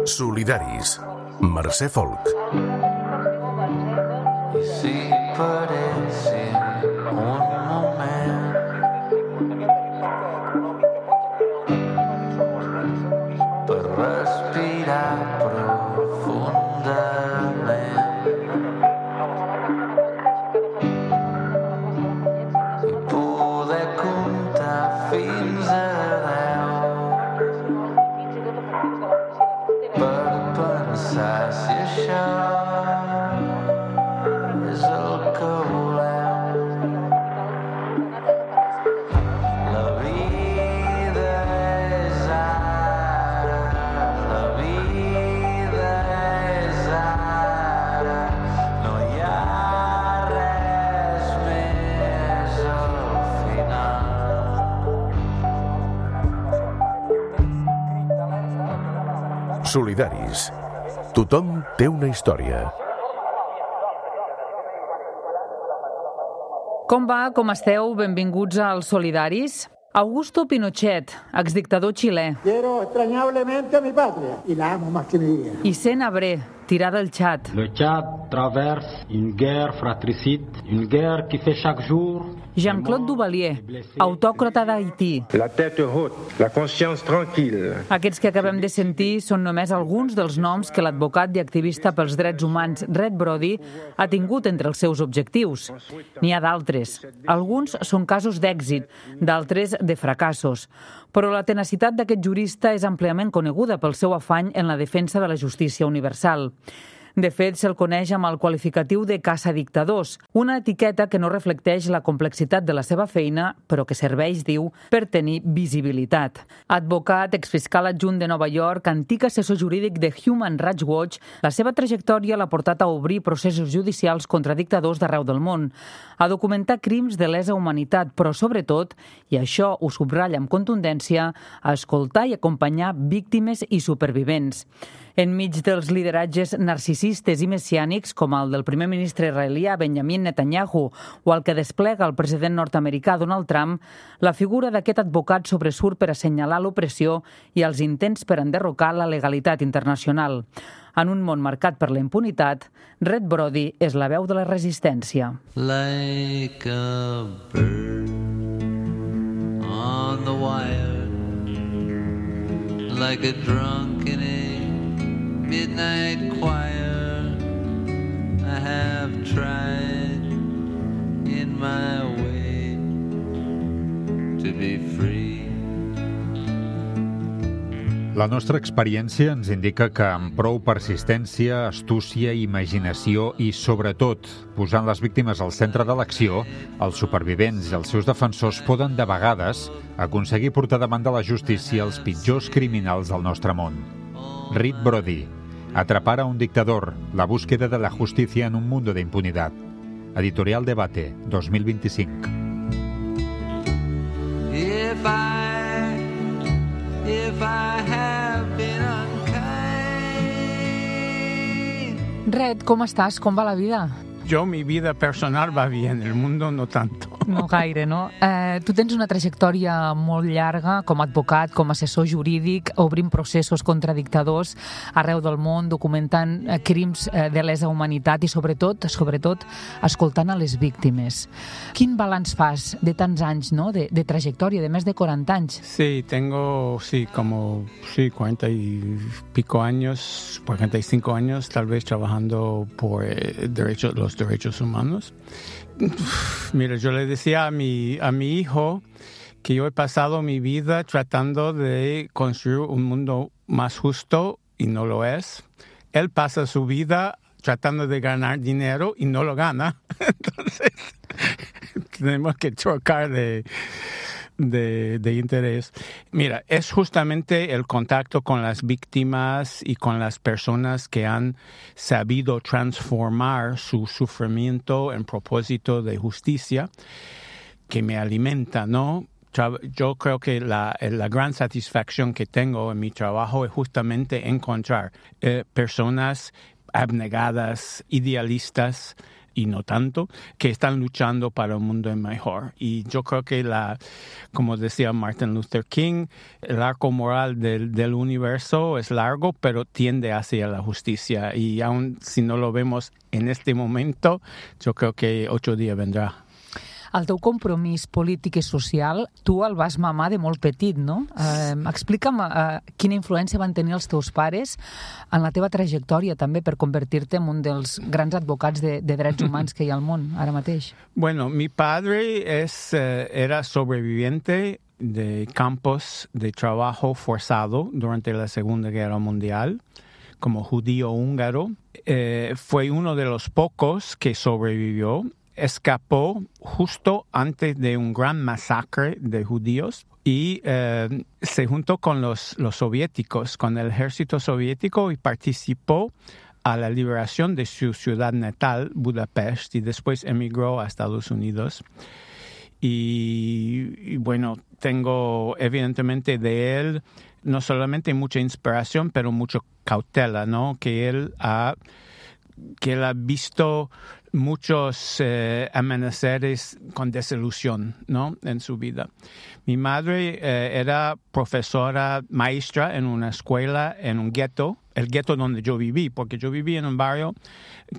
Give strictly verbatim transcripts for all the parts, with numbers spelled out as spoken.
Solidaris. Mercè Folk. Sí, parece un moment per respirar profundament i poder comptar fins a deu per pensar si això és el que volem. La vida és ara, la vida és ara, no hi ha res més al final. Solidaris. Tothom té una història. Com va? Com esteu? Benvinguts als Solidaris. Augusto Pinochet, exdictador xilè. Quiero extrañablemente a mi patria y la amo más que mi vida. Hissène Habré, tirà del Tchad. Le Tchad traverse une guerre fratricide, une guerre qui fait chaque jour. Jean-Claude Duvalier, autòcrata d'Haití. La tête haute, la conscience tranquille. Aquests que acabem de sentir són només alguns dels noms que l'advocat i activista pels drets humans Red Brody ha tingut entre els seus objectius. N'hi ha d'altres. Alguns són casos d'èxit, d'altres de fracassos. Però la tenacitat d'aquest jurista és àmpliament coneguda pel seu afany en la defensa de la justícia universal. De fet, se'l coneix amb el qualificatiu de caçadictadors, una etiqueta que no reflecteix la complexitat de la seva feina, però que serveix, diu, per tenir visibilitat. Advocat, exfiscal adjunt de Nova York, antic assessor jurídic de Human Rights Watch, la seva trajectòria l'ha portat a obrir processos judicials contra dictadors d'arreu del món, a documentar crims de lesa humanitat, però sobretot, i això ho subratlla amb contundència, a escoltar i acompanyar víctimes i supervivents. Enmig dels lideratges narcisistes i messiànics, com el del primer ministre israelià Benjamin Netanyahu o el que desplega el president nord-americà Donald Trump, la figura d'aquest advocat sobresurt per assenyalar l'opressió i els intents per enderrocar la legalitat internacional. En un món marcat per la impunitat, Red Brody és la veu de la resistència. Like a bird on the wire, like a drunk in a midnight choir, I have tried in my way to be free. La nostra experiència ens indica que amb prou persistència, astúcia, imaginació i, sobretot, posant les víctimes al centre de l'acció, els supervivents i els seus defensors poden, de vegades, aconseguir portar davant de la justícia els pitjors criminals del nostre món. Red Brody, Atrapar a un dictador, la búsqueda de la justicia en un mundo de impunidad. Editorial Debate, dos mil veinticinc. If I, if I have been unkind. Red, com estàs? Com va la vida? Yo, mi vida personal va bien, el mundo no tanto. No gaire, no? Eh, tu tens una trajectòria molt llarga com a advocat, com a assessor jurídic, obrint processos contra dictadors arreu del món, documentant eh, crims eh, de lesa humanitat i, sobretot, sobretot, escoltant a les víctimes. Quin balanç fas de tants anys, no?, de, de trajectòria, de més de quaranta anys? Sí, tengo, sí, como, sí, cuarenta y pico años, cuarenta y cinco años, tal vez trabajando por eh, derecho, los derechos humanos. Mira, yo le decía a mi, a mi hijo que yo he pasado mi vida tratando de construir un mundo más justo y no lo es. Él pasa su vida tratando de ganar dinero y no lo gana. Entonces, tenemos que chocar de, de, de interés. Mira, es justamente el contacto con las víctimas y con las personas que han sabido transformar su sufrimiento en propósito de justicia que me alimenta, ¿no? Yo creo que la, la gran satisfacción que tengo en mi trabajo es justamente encontrar eh, personas abnegadas, idealistas, y no tanto, que están luchando para un mundo mejor. Y yo creo que, la, como decía Martin Luther King, el arco moral del, del universo es largo, pero tiende hacia la justicia. Y aun si no lo vemos en este momento, yo creo que otro día vendrá. El teu compromís polític i social, tu el vas mamar de molt petit, no? Eh, explica'm eh, quina influència van tenir els teus pares en la teva trajectòria també per convertir-te en un dels grans advocats de, de drets humans que hi ha al món ara mateix. Bueno, mi padre es, eh, era sobreviviente de campos de trabajo forzado durante la Segunda Guerra Mundial, como judío húngaro. Eh, fue uno de los pocos que sobrevivió. Escapó justo antes de un gran masacre de judíos y eh, se juntó con los, los soviéticos, con el ejército soviético, y participó a la liberación de su ciudad natal, Budapest, y después emigró a Estados Unidos. Y, y bueno, tengo evidentemente de él no solamente mucha inspiración, pero mucha cautela, ¿no? Que él ha, que él ha visto muchos eh, amaneceres con desilusión, ¿no? En su vida. Mi madre eh, era profesora maestra en una escuela en un gueto, el gueto donde yo viví, porque yo viví en un barrio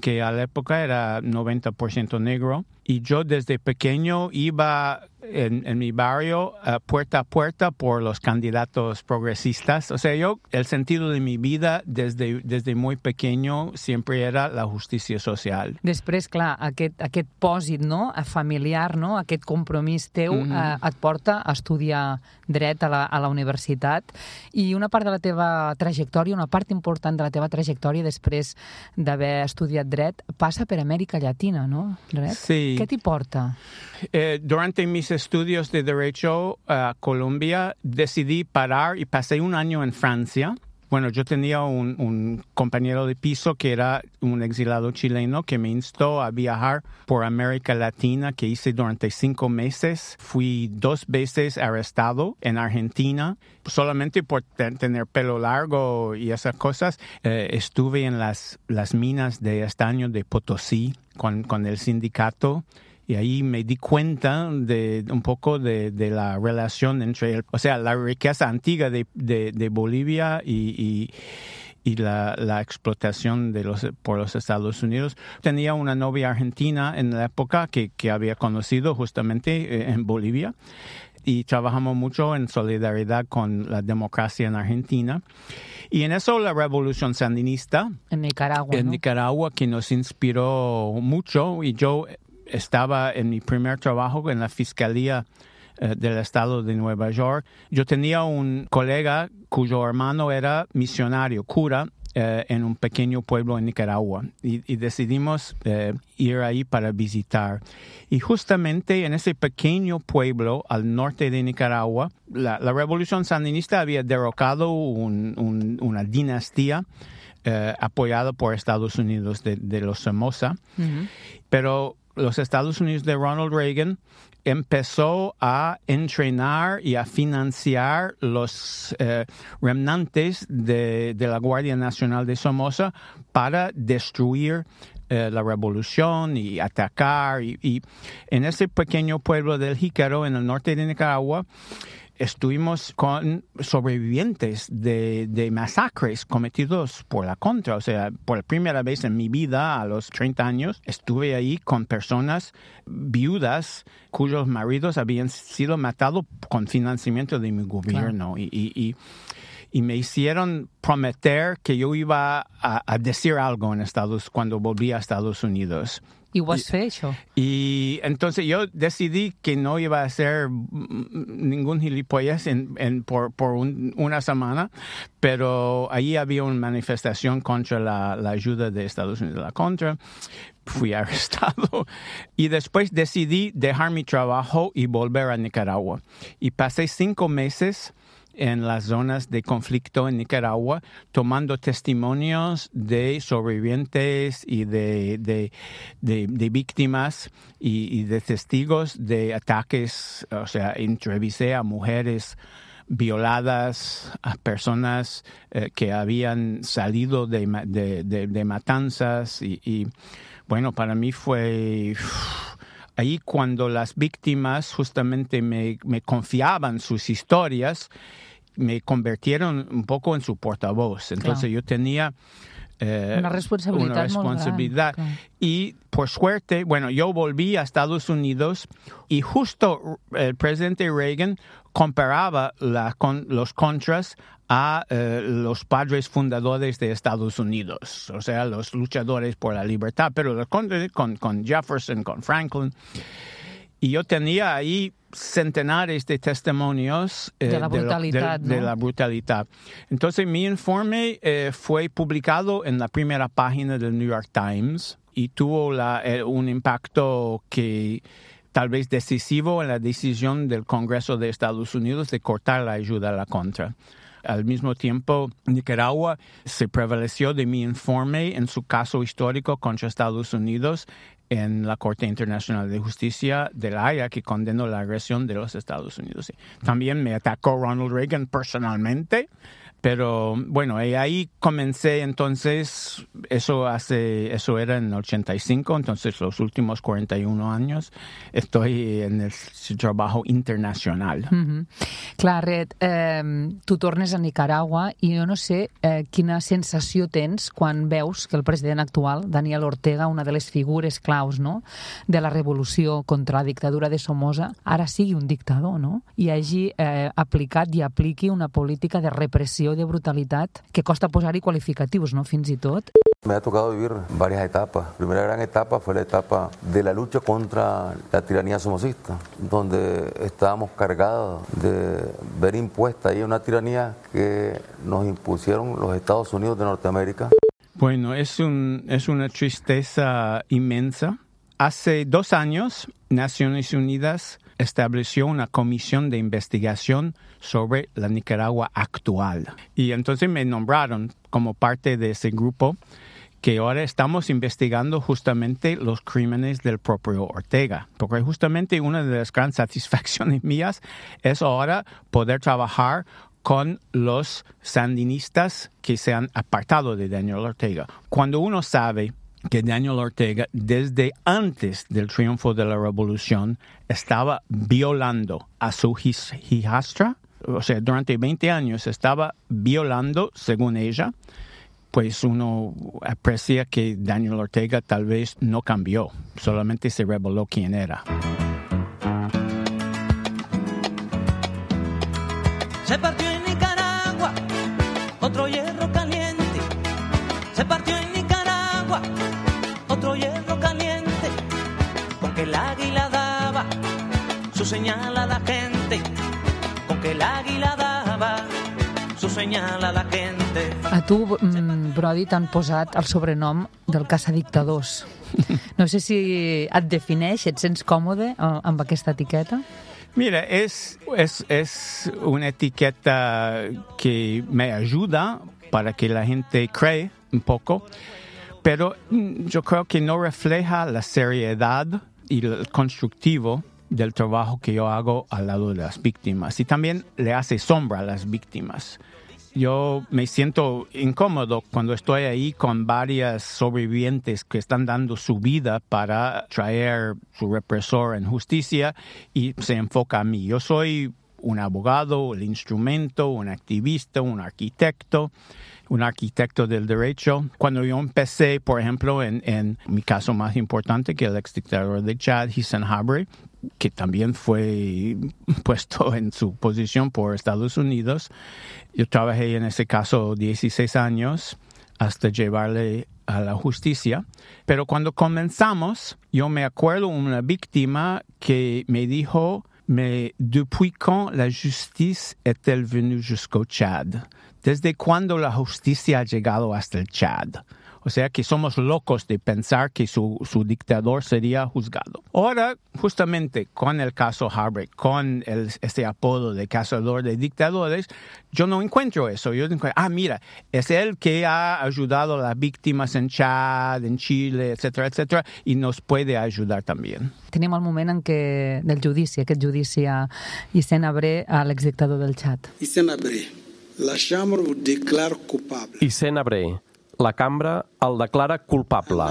que a la época era noventa por ciento negro, y yo desde pequeño iba en, en mi barrio uh, puerta a puerta por los candidatos progresistas. O sea, yo, el sentido de mi vida desde, desde muy pequeño siempre era la justicia social. Després, clar, aquest, aquest pòsit, no?, familiar, no?, aquest compromís teu mm-hmm. eh, et porta a estudiar dret a la, a la universitat, i una part de la teva trajectòria, una part important de la teva trajectòria després d'haver estudiat dret, passa per Amèrica Llatina, no? Dret? Sí. ¿Qué te importa? Eh, durante mis estudios de Derecho a uh, Colombia, decidí parar y pasé un año en Francia. Bueno, yo tenía un, un compañero de piso que era un exilado chileno que me instó a viajar por América Latina, que hice durante cinco meses. Fui dos veces arrestado en Argentina, solamente por te- tener pelo largo y esas cosas. Eh, estuve en las, las minas de estaño de Potosí con, con el sindicato. Y ahí me di cuenta de un poco de, de la relación entre, el, o sea, la riqueza antigua de, de, de Bolivia y, y, y la, la explotación de los, por los Estados Unidos. Tenía una novia argentina en la época que, que había conocido justamente en Bolivia, y trabajamos mucho en solidaridad con la democracia en Argentina. Y en eso la revolución sandinista En Nicaragua, en ¿no? Nicaragua, que nos inspiró mucho, y yo estaba en mi primer trabajo en la Fiscalía eh, del Estado de Nueva York. Yo tenía un colega cuyo hermano era misionario, cura, eh, en un pequeño pueblo en Nicaragua, y, y decidimos eh, ir ahí para visitar. Y justamente en ese pequeño pueblo al norte de Nicaragua, la, la revolución sandinista había derrocado un, un, una dinastía eh, apoyada por Estados Unidos de, de los Somoza, uh-huh. pero los Estados Unidos de Ronald Reagan empezó a entrenar y a financiar los eh, remanentes de, de la Guardia Nacional de Somoza para destruir eh, la revolución y atacar. Y, y en ese pequeño pueblo del Jícaro, en el norte de Nicaragua, estuvimos con sobrevivientes de, de masacres cometidos por la Contra. O sea, por primera vez en mi vida, a los treinta años, estuve ahí con personas viudas cuyos maridos habían sido matados con financiamiento de mi gobierno. Claro. Y, y, y, y me hicieron prometer que yo iba a, a decir algo en Estados cuando volví a Estados Unidos. I ho has fet, això? Y entonces yo decidí que no iba a hacer ningún gilipollas en, en, por, por un, una semana, pero ahí había una manifestación contra la, la ayuda de Estados Unidos a la Contra. Fui arrestado y después decidí dejar mi trabajo y volver a Nicaragua. Y pasé cinco meses en las zonas de conflicto en Nicaragua, tomando testimonios de sobrevivientes y de, de, de, de víctimas y, y de testigos de ataques. O sea, entrevisté a mujeres violadas, a personas eh, que habían salido de, de, de, de matanzas y, y bueno, para mí fue... Ahí cuando las víctimas justamente me, me confiaban sus historias, me convirtieron un poco en su portavoz. Entonces claro. yo tenía eh, una responsabilidad. Una responsabilidad. Muy grande, claro. Y por suerte, bueno, yo volví a Estados Unidos y justo el presidente Reagan comparaba la, con los contras a eh, los padres fundadores de Estados Unidos, o sea, los luchadores por la libertad, pero los contras con, con Jefferson, con Franklin. Y yo tenía ahí centenares de testimonios eh, de la brutalidad. De, de, ¿no? de la brutalidad. Entonces, mi informe eh, fue publicado en la primera página del New York Times y tuvo la, eh, un impacto que tal vez decisivo en la decisión del Congreso de Estados Unidos de cortar la ayuda a la Contra. Al mismo tiempo, Nicaragua se prevaleció de mi informe en su caso histórico contra Estados Unidos en la Corte Internacional de Justicia de La Haya, que condenó la agresión de los Estados Unidos. También me atacó Ronald Reagan personalmente, pero bueno, y ahí comencé entonces, eso hace, eso era en ochenta y cinco, entonces los últimos cuarenta y un años estoy en el trabajo internacional. Mm-hmm. Clar, Red, eh, tu tornes a Nicaragua i jo no sé eh, quina sensació tens quan veus que el president actual, Daniel Ortega, una de les figures claus, no?, de la revolució contra la dictadura de Somoza, ara sigui un dictador, no?, i hagi eh, aplicat i apliqui una política de repressió, de brutalitat, que costa posar-hi qualificatius, no?, fins i tot. Me ha tocado vivir varias etapas. La primera gran etapa fue la etapa de la lucha contra la tiranía somocista, donde estábamos cargados de ver impuesta ahí una tiranía que nos impusieron los Estados Unidos de Norteamérica. Bueno, es, un, es una tristeza inmensa. Hace dos años, Naciones Unidas estableció una comisión de investigación sobre la Nicaragua actual. Y entonces me nombraron como parte de ese grupo que ahora estamos investigando justamente los crímenes del propio Ortega. Porque justamente una de las grandes satisfacciones mías es ahora poder trabajar con los sandinistas que se han apartado de Daniel Ortega. Cuando uno sabe que Daniel Ortega, desde antes del triunfo de la revolución, estaba violando a su hijastra, o sea, durante veinte años estaba violando, según ella, pues uno aprecia que Daniel Ortega tal vez no cambió, solamente se reveló quién era. Se partió en Nicaragua otro hierro caliente. Se partió en Nicaragua otro hierro caliente. Con que el águila daba su señal a la gente. Con que el águila daba su señal a la gente. A tu, Brody, t'han posat el sobrenom del caçadictadors. No sé si et defineix, et sents còmode amb aquesta etiqueta? Mira, es, es, es una etiqueta que me ayuda para que la gente cree un poco, pero yo creo que no refleja la seriedad y el constructivo del trabajo que yo hago al lado de las víctimas. Y también le hace sombra a las víctimas. Yo me siento incómodo cuando estoy ahí con varias sobrevivientes que están dando su vida para traer su represor en justicia y se enfoca a mí. Yo soy un abogado, el instrumento, un activista, un arquitecto, un arquitecto del derecho. Cuando yo empecé, por ejemplo, en, en mi caso más importante, que el exdictador de Chad, Hissène Habré, que también fue puesto en su posición por Estados Unidos. Yo trabajé en ese caso dieciséis años hasta llevarle a la justicia. Pero cuando comenzamos, yo me acuerdo de una víctima que me dijo, mais depuis quand la justice est-elle venue jusqu'au Chad? ¿Desde cuándo la justicia ha llegado hasta el Chad? O sea que somos locos de pensar que su, su dictador sería juzgado. Ahora, justamente con el caso Habré, con el, este apodo de cazador de dictadores, yo no encuentro eso. Yo encuentro, ah, mira, es él que ha ayudado a las víctimas en Chad, en Chile, etcétera, etcétera, y nos puede ayudar también. Tenim el moment en què, del judici, aquest judici a Hissène Habré, a l'exdictador del Chad. Hissène Habré, la Chambre vous déclare coupable. Hissène Habré, la cambra el declara culpable.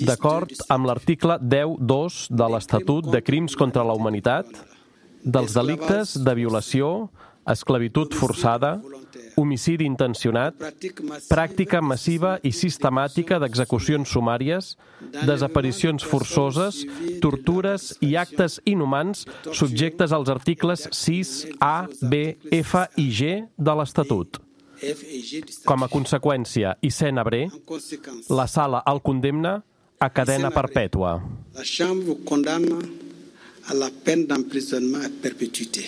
D'acord amb l'article deu punt dos de l'Estatut de Crims contra la Humanitat, dels delictes de violació, esclavitud forçada, homicidi intencionat, pràctica massiva i sistemàtica d'execucions sumàries, desaparicions forçoses, tortures i actes inhumans subjectes als articles sis, A, B, F i G de l'Estatut. Com a conseqüència, i sent abré, la sala el condemna a cadena perpètua. La Chambre condamna a la peine d'emprisonnement à perpétuité.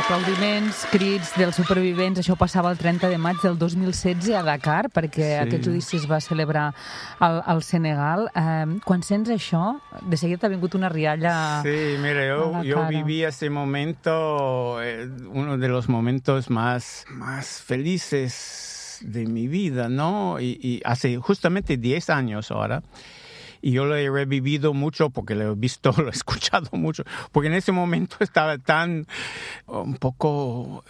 Aplaudiments, crits dels supervivents. Això passava el trenta de maig del dos mil setze a Dakar, perquè sí. Aquest judici es va celebrar al, al Senegal. Eh, quan sents això, de seguida t'ha vingut una rialla sí, mira, yo, a la yo cara. Viví ese momento, eh, uno de los momentos más, más felices de mi vida, ¿no? Y, y hace justamente diez años ahora. Y yo lo he revivido mucho porque lo he visto, lo he escuchado mucho, porque en ese momento estaba tan, un poco...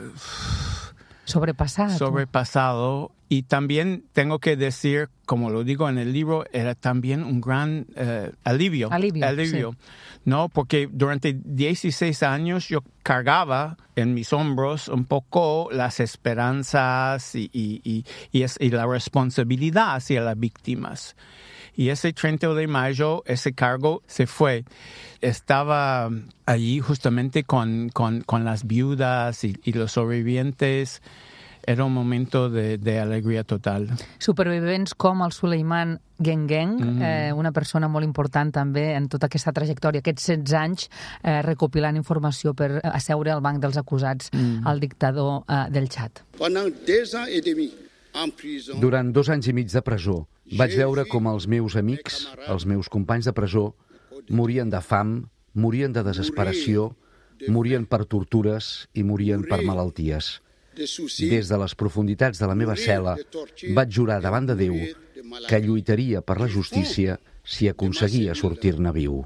Sobrepasado. Sobrepasado. Y también tengo que decir, como lo digo en el libro, era también un gran eh, alivio. Alivio, alivio sí. ¿No? Porque durante dieciséis años yo cargaba en mis hombros un poco las esperanzas y, y, y, y, es, y la responsabilidad hacia las víctimas. Y ese treinta de mayo, ese cargo se fue. Estaba allí justamente con, con, con las viudas y, y los sobrevivientes. Era un momento de, de alegria total. Supervivents com el Suleiman Gengeng, mm. eh, una persona molt important també en tota aquesta trajectòria, aquests setze anys eh, recopilant informació per asseure al banc dels acusats mm. al dictador eh, del Txad. Durant dos anys i mig de presó, vaig veure com els meus amics, els meus companys de presó, morien de fam, morien de desesperació, morien per tortures i morien per malalties. Des de les profunditats de la meva cel·la, vaig jurar davant de Déu que lluitaria per la justícia si aconseguia sortir-ne viu.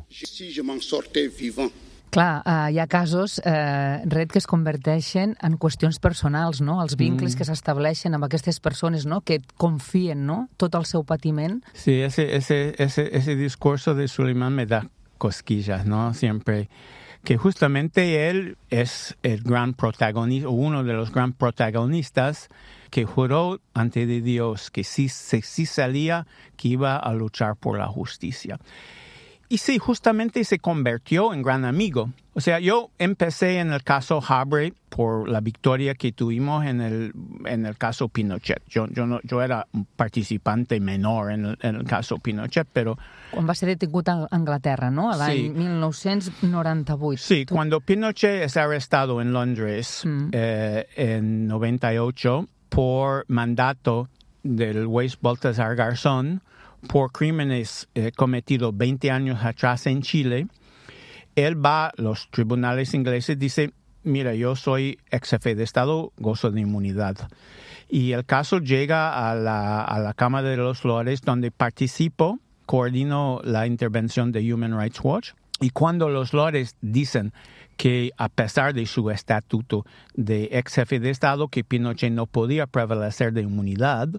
Clar, eh, hi ha casos, eh, Red, que es converteixen en qüestions personals, no? Els vincles mm. que s'estableixen amb aquestes persones, no? Que confien, no? Tot el seu patiment. Sí, ese, ese, ese, ese discurso de Suleiman me da cosquillas, ¿no? Siempre. Que justamente él es el gran protagonista, uno de los gran protagonistas que juró ante de Dios que si, si, si salía, que iba a luchar por la justicia. Y sí, justamente se convirtió en gran amigo. O sea, yo empecé en el caso Habre por la victoria que tuvimos en el, en el caso Pinochet. Yo, yo, no, yo era un participante menor en el, en el caso Pinochet, pero... Quan va ser detingut a Anglaterra, ¿no? A l'any sí. mil nou-cents noranta-vuit. Sí, tu... cuando Pinochet es arrestado en Londres mm. eh, en noventa y ocho por mandato del juez Baltasar Garzón, por crímenes eh, cometidos veinte años atrás en Chile, él va a los tribunales ingleses, dice, mira, yo soy ex jefe de Estado, gozo de inmunidad. Y el caso llega a la, a la Cámara de los Lores, donde participo, coordino la intervención de Human Rights Watch. Y cuando los Lores dicen que a pesar de su estatuto de ex jefe de Estado, que Pinochet no podía prevalecer de inmunidad,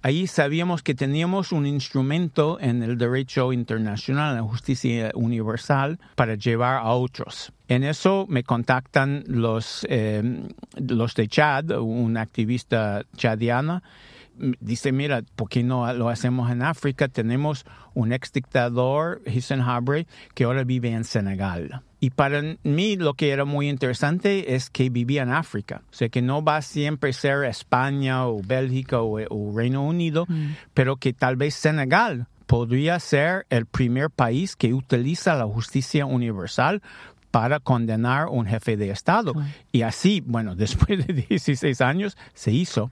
ahí sabíamos que teníamos un instrumento en el derecho internacional, en la justicia universal, para llevar a otros. En eso me contactan los, eh, los de Chad, una activista chadiana. Dice, mira, ¿por qué no lo hacemos en África? Tenemos un ex dictador, Hissène Habré, que ahora vive en Senegal. Y para mí lo que era muy interesante es que vivía en África. O sea, que no va a siempre ser España o Bélgica o, o Reino Unido, mm. pero que tal vez Senegal podría ser el primer país que utiliza la justicia universal para condenar a un jefe de Estado. Mm. Y así, bueno, después de dieciséis años, se hizo.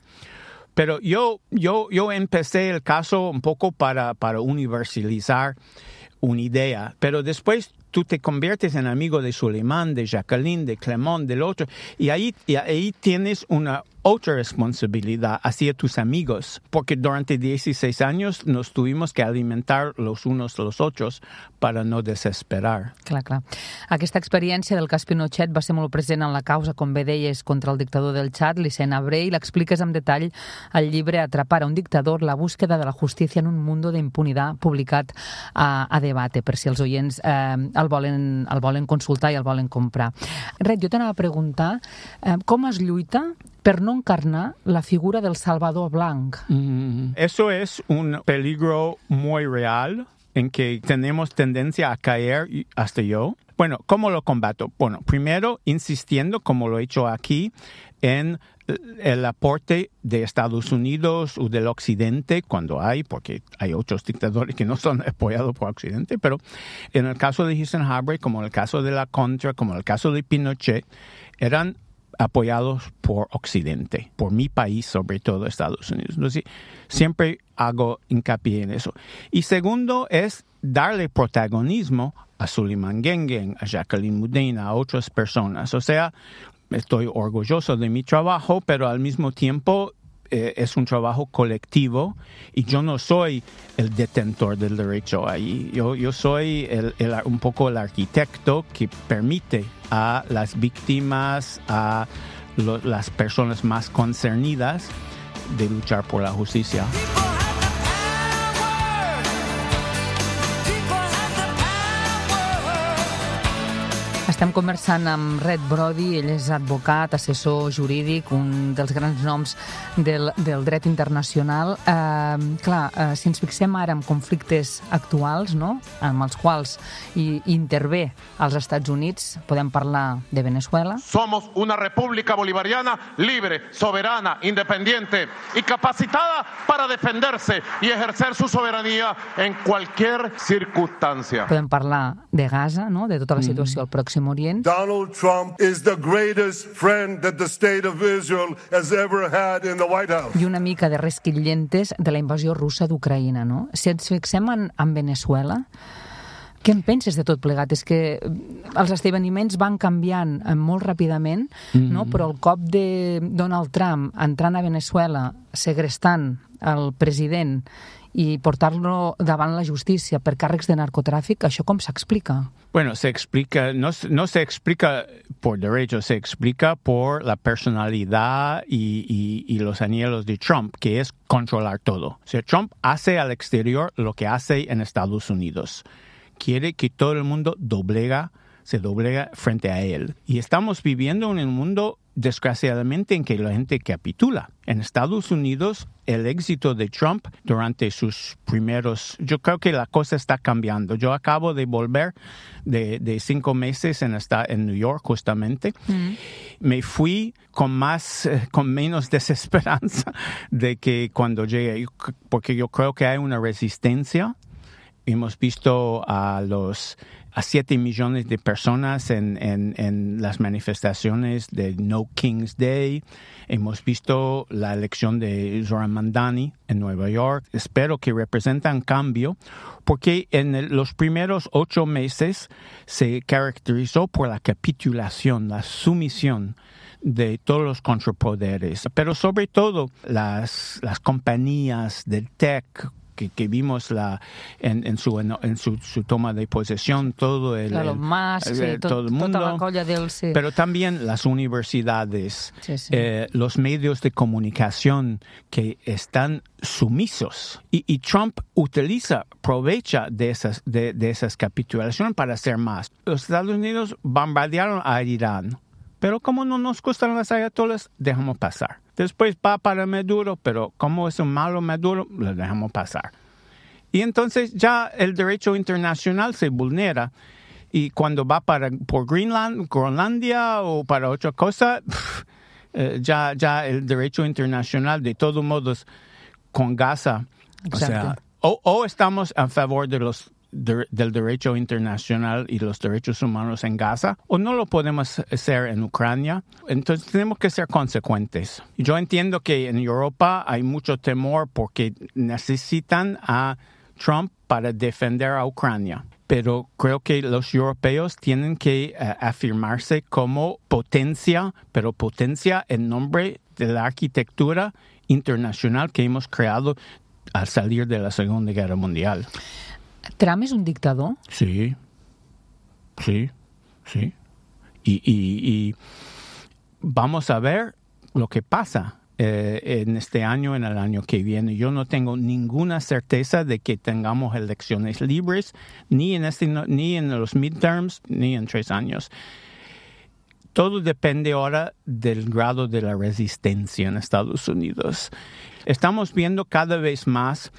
Pero yo, yo, yo empecé el caso un poco para, para universalizar una idea, pero después tú te conviertes en amigo de Suleiman, de Jacqueline, de Clement, del otro, y ahí, y ahí tienes una, otra responsabilidad hacia tus amigos, porque durante dieciséis años nos tuvimos que alimentar los unos a los otros para no desesperar. Clar, clar. Aquesta experiència del cas Pinochet va ser molt present en la causa, com bé deies, contra el dictador del Txad, l'Hissène Habré, i l'expliques amb detall al llibre Atrapar a un dictador, la búsqueda de la justícia en un mundo de impunidad, publicat a, a Debate, per si els oients eh, el, volen, el volen consultar i el volen comprar. Red, jo t'anava a preguntar eh, com es lluita per no encarnar la figura del Salvador Blanc. Mm, eso es un peligro muy real en que tenemos tendencia a caer, hasta yo. Bueno, ¿cómo lo combato? Bueno, primero insistiendo, como lo he hecho aquí, en el aporte de Estados Unidos o del Occidente, cuando hay, porque hay otros dictadores que no son apoyados por Occidente, pero en el caso de Hissène Habré, como en el caso de la Contra, como en el caso de Pinochet, eran apoyados por Occidente, por mi país, sobre todo Estados Unidos. Entonces, siempre hago hincapié en eso. Y segundo es darle protagonismo a Suleiman Guenguen, a Jacqueline Mudena, a otras personas. O sea, estoy orgulloso de mi trabajo, pero al mismo tiempo eh, es un trabajo colectivo y yo no soy el detentor del derecho ahí. Yo, yo soy el, el, un poco el arquitecto que permite a las víctimas, a lo, las personas más concernidas de luchar por la justicia. Estem conversant amb Red Brody, ell és advocat, assessor jurídic, un dels grans noms del, del dret internacional. Eh, clar, eh, si ens fixem ara en conflictes actuals, no?, amb els quals hi, hi intervé als Estats Units, podem parlar de Venezuela. Somos una república bolivariana libre, soberana, independiente y capacitada para defenderse y ejercer su soberanía en cualquier circunstancia. Podem parlar de Gaza, no?, de tota la situació al Pròxim Orient. Donald Trump is the greatest friend that the state of Israel has ever had in the White House. I una mica de resquillentes de la invasió russa d'Ucraïna, no? Si ens fixem en, en Venezuela, què en penses de tot plegat? És que els esdeveniments van canviant molt ràpidament, mm-hmm. no? Però el cop de Donald Trump entrant a Venezuela, segrestant el president i portar-lo davant la justícia per càrrecs de narcotràfic, això com s'explica? Bueno, se explica, no, no se explica por derecho, se explica por la personalidad y, y, y los anhelos de Trump, que es controlar todo. O sea, Trump hace al exterior lo que hace en Estados Unidos. Quiere que todo el mundo doblega, se doblega frente a él. Y estamos viviendo en un mundo, desgraciadamente, en que la gente capitula. En Estados Unidos, el éxito de Trump durante sus primeros... Yo creo que la cosa está cambiando. Yo acabo de volver de, de cinco meses en, esta, en New York, justamente. Mm. Me fui con más, con menos desesperanza de que cuando llegué, porque yo creo que hay una resistencia. Hemos visto a los a siete millones de personas en, en, en las manifestaciones de No King's Day. Hemos visto la elección de Zoran Mandani en Nueva York. Espero que representan cambio, porque en el, los primeros ocho meses se caracterizó por la capitulación, la sumisión de todos los contrapoderes, pero sobre todo las, las compañías del tech, Que, que vimos la en, en, su, en, en su, su toma de posesión, todo el, claro, el, más, el, sí, el todo el mundo, toda la colla del, sí. Pero también las universidades, sí, sí. Eh, los medios de comunicación que están sumisos. Y, y Trump utiliza, aprovecha de esas, de, de esas capitulaciones para hacer más. Los Estados Unidos bombardearon a Irán, pero como no nos gustan las ayatolas, dejamos pasar. Después va para Maduro, pero como es un malo Maduro, lo dejamos pasar. Y entonces ya el derecho internacional se vulnera. Y cuando va para, por Greenland, Groenlandia o para otra cosa, pff, eh, ya, ya el derecho internacional, de todos modos, con Gaza, o sea, o, o estamos a favor de los De, del derecho internacional y los derechos humanos en Gaza, o no lo podemos hacer en Ucrania. Entonces tenemos que ser consecuentes. Yo entiendo que en Europa hay mucho temor porque necesitan a Trump para defender a Ucrania. Pero creo que los europeos tienen que uh, afirmarse como potencia, pero potencia en nombre de la arquitectura internacional que hemos creado al salir de la Segunda Guerra Mundial. ¿Trump es un dictador? Sí, sí, sí. Y, y, y vamos a ver lo que pasa eh, en este año, en el año que viene. Yo no tengo ninguna certeza de que tengamos elecciones libres, ni en, este, ni en los midterms, ni en tres años. Todo depende ahora del grado de la resistencia en Estados Unidos. Estamos viendo cada vez más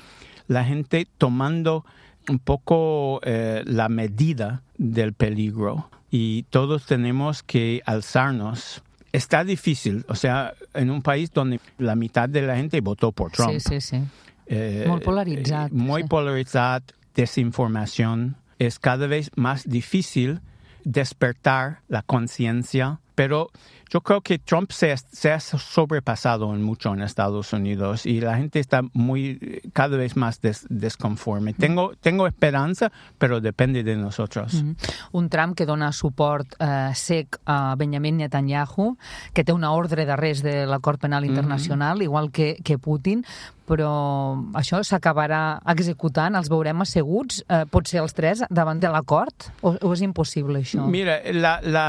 la gente tomando un poco eh, la medida del peligro y todos tenemos que alzarnos. Está difícil, o sea, en un país donde la mitad de la gente votó por Trump. Sí, sí, sí. Eh, Molt polaritzat. Eh, muy sí. polarizado, desinformación. Es cada vez más difícil despertar la conciencia, pero yo creo que Trump se, se ha sobrepasado en mucho en Estados Unidos y la gente está muy cada vez más des, desconforme. Tengo, tengo esperanza, pero depende de nosotros. Mm-hmm. Un Trump que dona suport eh, sec a Benjamin Netanyahu, que té una ordre d'arrest de l'acord penal internacional, mm-hmm. igual que, que Putin, però això s'acabarà executant, els veurem asseguts, eh, potser els tres, davant de l'acord? O, o és impossible, això? Mira, la... la...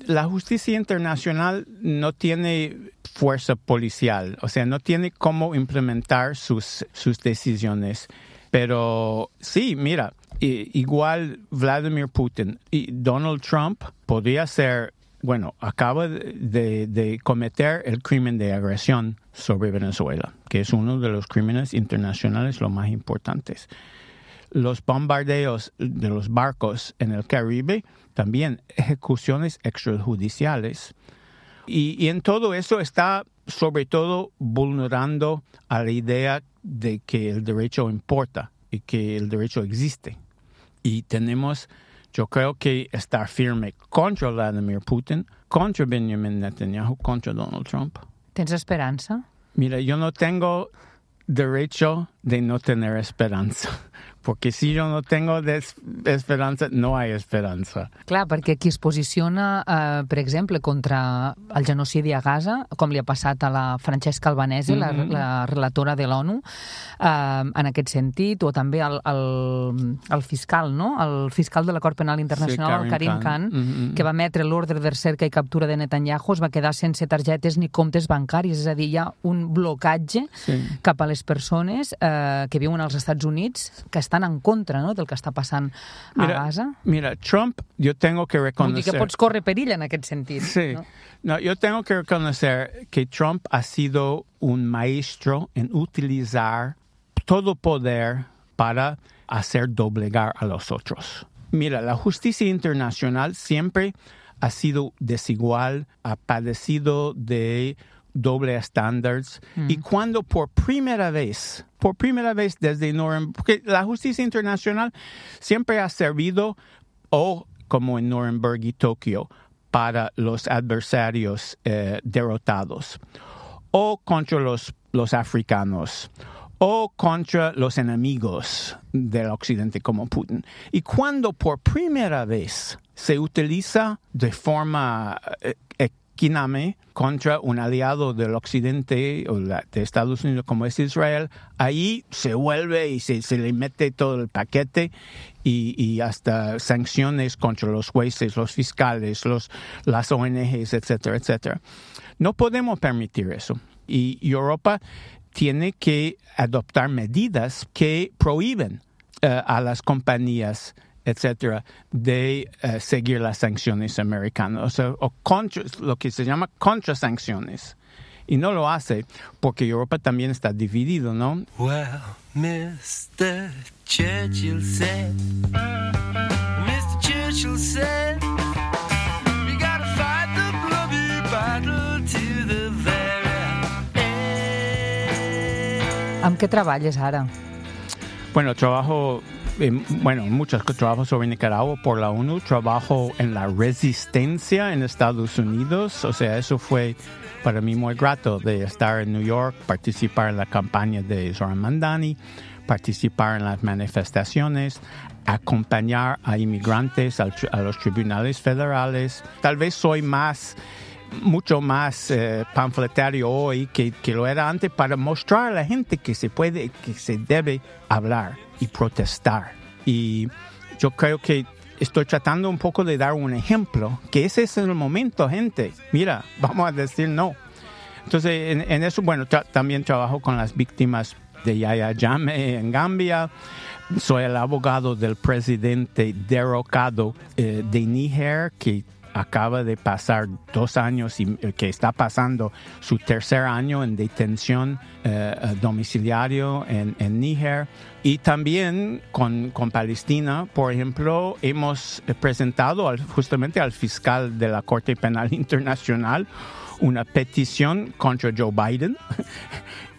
La justicia internacional no tiene fuerza policial, o sea, no tiene cómo implementar sus, sus decisiones. Pero sí, mira, igual Vladimir Putin y Donald Trump podría ser, bueno, acaba de, de cometer el crimen de agresión sobre Venezuela, que es uno de los crímenes internacionales los más importantes. Los bombardeos de los barcos en el Caribe, también ejecuciones extrajudiciales. Y, y en todo eso está, sobre todo, vulnerando a la idea de que el derecho importa y que el derecho existe. Y tenemos, yo creo que estar firme contra Vladimir Putin, contra Benjamin Netanyahu, contra Donald Trump. ¿Tens esperanza? Mira, yo no tengo derecho de no tener esperanza. Porque si yo no tengo esperança, no hay esperança. Clar, perquè qui es posiciona, eh, per exemple, contra el genocidi a Gaza, com li ha passat a la Francesca Albanese, mm-hmm. la, la relatora de l'ONU, eh, en aquest sentit, o també el, el, el fiscal, no? El fiscal de l'Acord Penal Internacional, sí, Karim Khan, mm-hmm. que va emetre l'ordre de recerca i captura de Netanyahu, es va quedar sense targetes ni comptes bancaris, és a dir, hi ha un blocatge sí. cap a les persones eh, que viuen als Estats Units, que estan en contra, no?, del que està passant a mira, Gaza. Mira, Trump, yo tengo que reconocer... Vull dir que pots córrer perill en aquest sentit. Sí. ¿no? No, yo tengo que reconocer que Trump ha sido un maestro en utilizar todo poder para hacer doblegar a los otros. Mira, la justicia internacional siempre ha sido desigual, ha padecido de doble estándares, mm. y cuando por primera vez, por primera vez desde Nuremberg, porque la justicia internacional siempre ha servido, o como en Nuremberg y Tokio, para los adversarios eh, derrotados, o contra los, los africanos, o contra los enemigos del Occidente como Putin. Y cuando por primera vez se utiliza de forma eh, equínime contra un aliado del Occidente o de Estados Unidos como es Israel, ahí se vuelve y se, se le mete todo el paquete y, y hasta sanciones contra los jueces, los fiscales, los, las O N Ges, etcétera, etcétera. No podemos permitir eso. Y Europa tiene que adoptar medidas que prohíben uh, a las compañías, etcétera, de uh, seguir las sanciones americanas, o sea, o contra, lo que se llama contrasanciones. Y no lo hace porque Europa también está dividido, ¿no? Well, mister Churchill said, mister Churchill said, we gotta fight the bloody battle to the very end. ¿Amb què treballes ara? Bueno, trabajo... Bueno, muchos trabajos sobre Nicaragua por la ONU, trabajo en la resistencia en Estados Unidos, o sea, eso fue para mí muy grato de estar en New York, participar en la campaña de Zoran Mandani, participar en las manifestaciones, acompañar a inmigrantes al, a los tribunales federales. Tal vez soy más mucho más eh, panfletario hoy que, que lo era antes para mostrar a la gente que se puede, que se debe hablar y protestar. Y yo creo que estoy tratando un poco de dar un ejemplo, que ese es el momento, gente. Mira, vamos a decir no. Entonces, en, en eso, bueno, tra- también trabajo con las víctimas de Yahya Jammeh en Gambia. Soy el abogado del presidente derrocado eh, de Níger, que acaba de pasar dos años y eh, que está pasando su tercer año en detención eh, domiciliario en, en Níger. Y también con, con Palestina, por ejemplo, hemos presentado al, justamente al fiscal de la Corte Penal Internacional una petición contra Joe Biden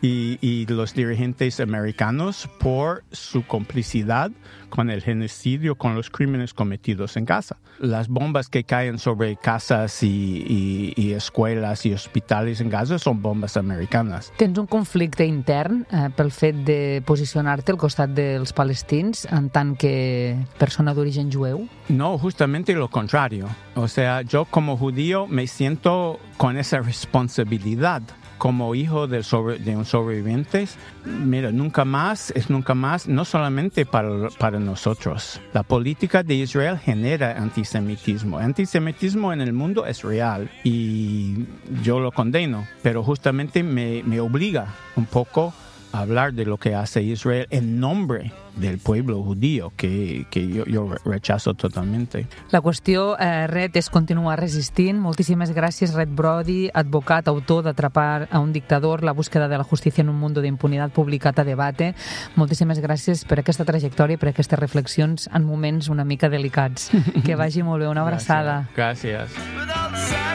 y, y los dirigentes americanos por su complicidad con el genocidio, con los crímenes cometidos en Gaza. Las bombas que caen sobre casas y, y, i escueles i hospitals en Gaza són bombes americanes. Tens un conflicte intern eh, pel fet de posicionar-te al costat dels palestins en tant que persona d'origen jueu? No, justamente lo contrario. O sea, yo como judío me siento con esa responsabilidad. Como hijo de, sobre, de un sobreviviente, mira, nunca más es nunca más, no solamente para, para nosotros. La política de Israel genera antisemitismo. El antisemitismo en el mundo es real y yo lo condeno, pero justamente me, me obliga un poco a hablar de lo que hace Israel en nombre del pueblo judío, que, que yo, yo rechazo totalmente. La qüestió, eh, Red, és continuar resistint. Moltíssimes gràcies, Red Brody, advocat, autor d'Atrapar a un dictador, la búsqueda de la justícia en un mundo de impunidad, publicat a Debate. Moltíssimes gràcies per aquesta trajectòria i per aquestes reflexions en moments una mica delicats. Que vagi molt bé, una abraçada. Gràcies. Gràcies.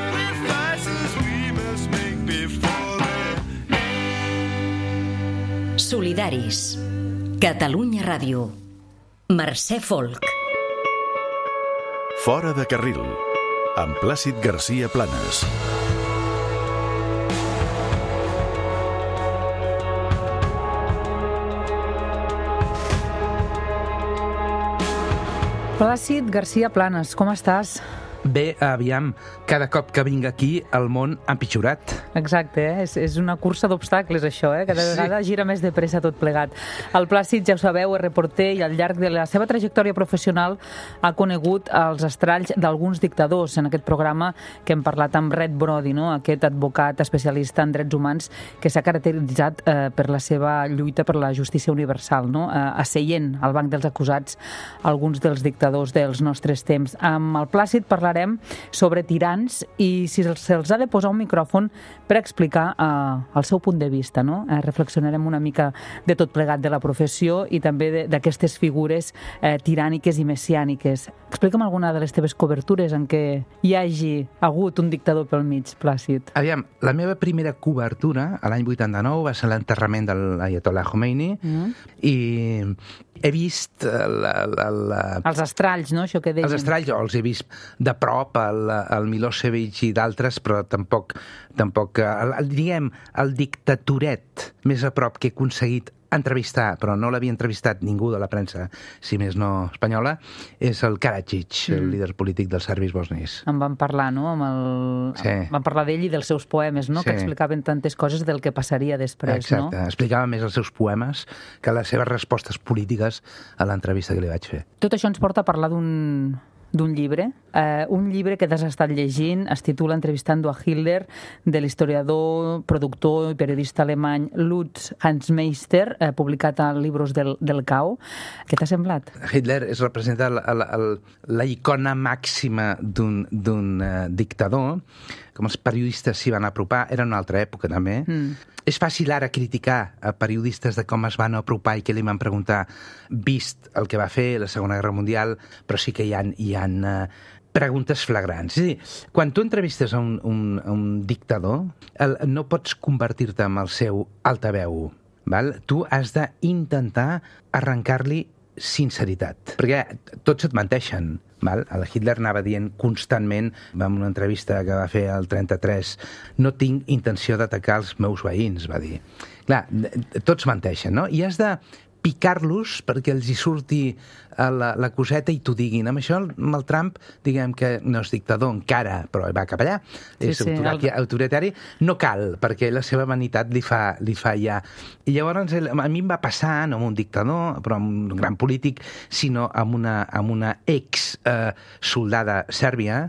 Solidaris. Catalunya Ràdio. Mercè Folk. Fora de carril, amb Plàcid Garcia Planas. Plàcid Garcia Planas, com estàs? Bé, aviam, cada cop que vinc aquí el món ha empitjorat. Exacte, eh? és, és una cursa d'obstacles això, eh? Cada sí. vegada gira més de pressa tot plegat. El Plàcid, ja ho sabeu, és reporter i al llarg de la seva trajectòria professional ha conegut els estralls d'alguns dictadors en aquest programa que hem parlat amb Red Brody, no? Aquest advocat especialista en drets humans que s'ha caracteritzat eh, per la seva lluita per la justícia universal, no? eh, asseient al banc dels acusats alguns dels dictadors dels nostres temps. Amb el Plàcid parlarem sobre tirans i si se'ls ha de posar un micròfon per explicar eh, el seu punt de vista, no? Eh, reflexionarem una mica de tot plegat de la professió i també d'aquestes figures eh, tiràniques i messiàniques. Explica'm alguna de les teves cobertures en què hi hagi hagut un dictador pel mig, Plàcid. Aviam, la meva primera cobertura, a l'any vuitanta-nou, va ser l'enterrament de l'Ayatollah Khomeini mm. i he vist la, la, la... els estralls, no? Això que deien. Els estralls, jo els he vist de prop, el, el Milosevic i d'altres, però tampoc, tampoc el, el, diguem, el dictatoret més a prop que he aconseguit entrevistar, però no l'havia entrevistat ningú de la premsa, si més no espanyola, és el Karadzic, mm. el líder polític dels serbis bosnis. En van parlar, no? Amb el... sí. Van parlar d'ell i dels seus poemes, no? Sí. Que explicaven tantes coses del que passaria després, exacte. No? Exacte, explicava més els seus poemes que les seves respostes polítiques a l'entrevista que li vaig fer. Tot això ens porta a parlar d'un... d'un llibre, eh, un llibre que t'has estat llegint, es titula Entrevistando a Hitler, de l'historiador, productor i periodista alemany Lutz Hansmeister, eh, publicat a Libros del, del Cau. Què t'ha semblat? Hitler es representa la, la, la icona màxima d'un, d'un uh, dictador, com els periodistes s'hi van apropar, era una altra època també. Mm. És fàcil ara criticar a periodistes de com es van apropar i què li van preguntar, vist el que va fer la Segona Guerra Mundial, però sí que hi ha, hi ha uh, preguntes flagrants. És a dir, quan tu entrevistes a un, un, a un dictador, el, no pots convertir-te en el seu altaveu, val? Tu has d'intentar arrencar-li sinceritat, perquè tots et menteixen. Val? El Hitler anava dient constantment, en una entrevista que va fer el trenta-tres, no tinc intenció d'atacar els meus veïns, va dir. Clar, tots menteixen, no? I has de picar-los perquè els hi surti la, la coseta i t'ho diguin. Amb això, amb el Trump, diguem que no és dictador encara, però va cap allà, Sí, és sí, autoritari, el- autoritari, no cal, perquè la seva vanitat li fa, li fa ja. I llavors, el- a mi em va passar, no amb un dictador, però amb un gran polític, sinó amb una, amb una ex-soldada sèrbia,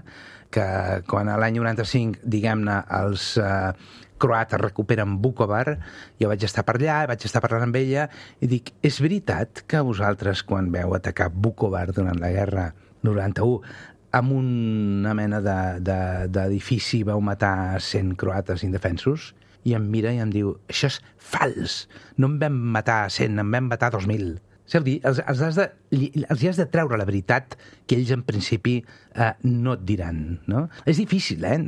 que quan a l'any noranta-cinc, diguem-ne, els eh, croates recuperen Vukovar, jo vaig estar per allà, vaig estar parlant amb ella, i dic, és veritat que vosaltres, quan veu atacar Vukovar durant la guerra noranta-u, amb una mena de- de- d'edifici vau matar cent croates indefensos? I em mira i em diu, això és fals, no en vam matar cent, en vam matar dos mil. És a dir, els, els, has de, els hi has de treure la veritat que ells en principi eh, no et diran, no? És difícil, eh?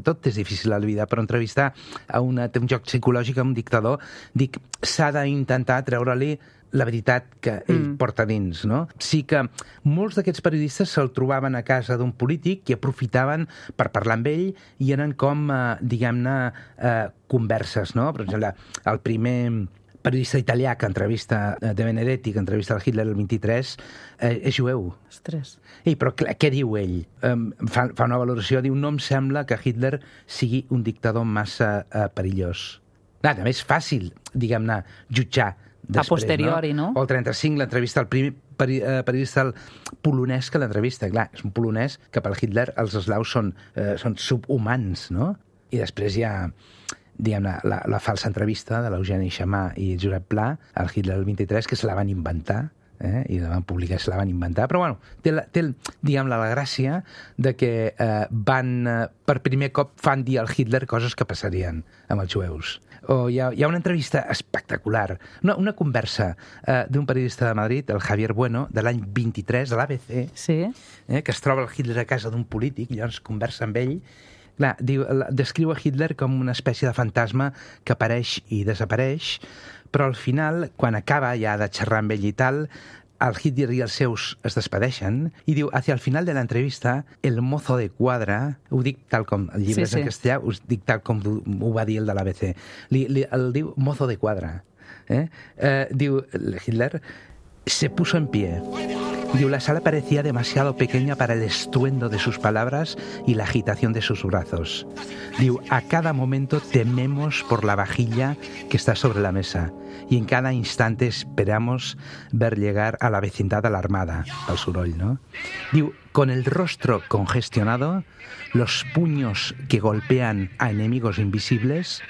Tot és difícil a la vida, però entrevistar a una, té un joc psicològic a un dictador, dic, s'ha d'intentar treure-li la veritat que ell mm. porta dins, no? Sí que molts d'aquests periodistes se'l trobaven a casa d'un polític i aprofitaven per parlar amb ell i eren com, eh, diguem-ne, eh, converses, no? Per exemple, el primer periodista italià que entrevista De Benedetti, que entrevista el Hitler el vint-i-tres, eh, és jueu. Ostres. Ei, però clar, què diu ell? Um, fa, fa una valoració, diu, no em sembla que Hitler sigui un dictador massa uh, perillós. Clar, també és fàcil, diguem-ne, jutjar després, A posteriori, no? O el trenta-cinc, l'entrevista al primer peri uh, periodista polonès que l'entrevista. Clar, és un polonès que per Hitler els eslaus són, uh, són subhumans, no? I després hi ha, diguem-ne, la, la falsa entrevista de l'Eugeni Xamà i Josep Pla al Hitler el vint-i-tres, que se la van inventar, eh? I la van publicar, se la van inventar, però bueno, té, la, té diguem-ne, la gràcia de que eh, van, eh, per primer cop fan dir al Hitler coses que passarien amb els jueus. O hi ha, hi ha una entrevista espectacular, una, una conversa eh, d'un periodista de Madrid, el Javier Bueno, de l'any vint-i-tres, de l'A B C, sí. eh, que es troba el Hitler a casa d'un polític, i llavors conversa amb ell. Clar, diu, descriu a Hitler com una espècie de fantasma que apareix i desapareix, però al final, quan acaba ja de xerrar amb ell i tal, el Hitler i els seus es despedeixen i diu, hacia el final de la entrevista, el mozo de quadra, ho dic tal com el llibre Sí, és sí. en castellà, ho dic tal com ho va dir el de l'A B C, li, li, el diu mozo de quadra. Eh? Eh, diu Hitler, se puso en pie. Diu, la sala parecía demasiado pequeña para el estruendo de sus palabras y la agitación de sus brazos. Diu, a cada momento tememos por la vajilla que está sobre la mesa y en cada instante esperamos ver llegar a la vecindad de la armada, al soroll, ¿no? Diu, con el rostro congestionado, los puños que golpean a enemigos invisibles,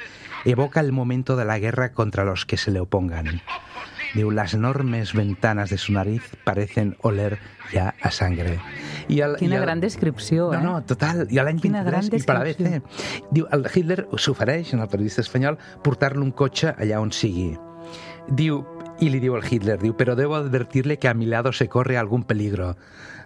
evoca el momento de la guerra contra los que se le opongan. Diu, las enormes ventanas de su nariz parecen oler ya a sangre. I el, Quina i el... gran descripció, eh? No, no, total. I l'any Quina gran vint-i-tres, i per l'A B C. Diu, el Hitler s'ofereix, en el periodista espanyol, portar-lo un cotxe allà on sigui. Diu, i li diu al Hitler, diu, però debo advertirle que a mi lado se corre algún peligro.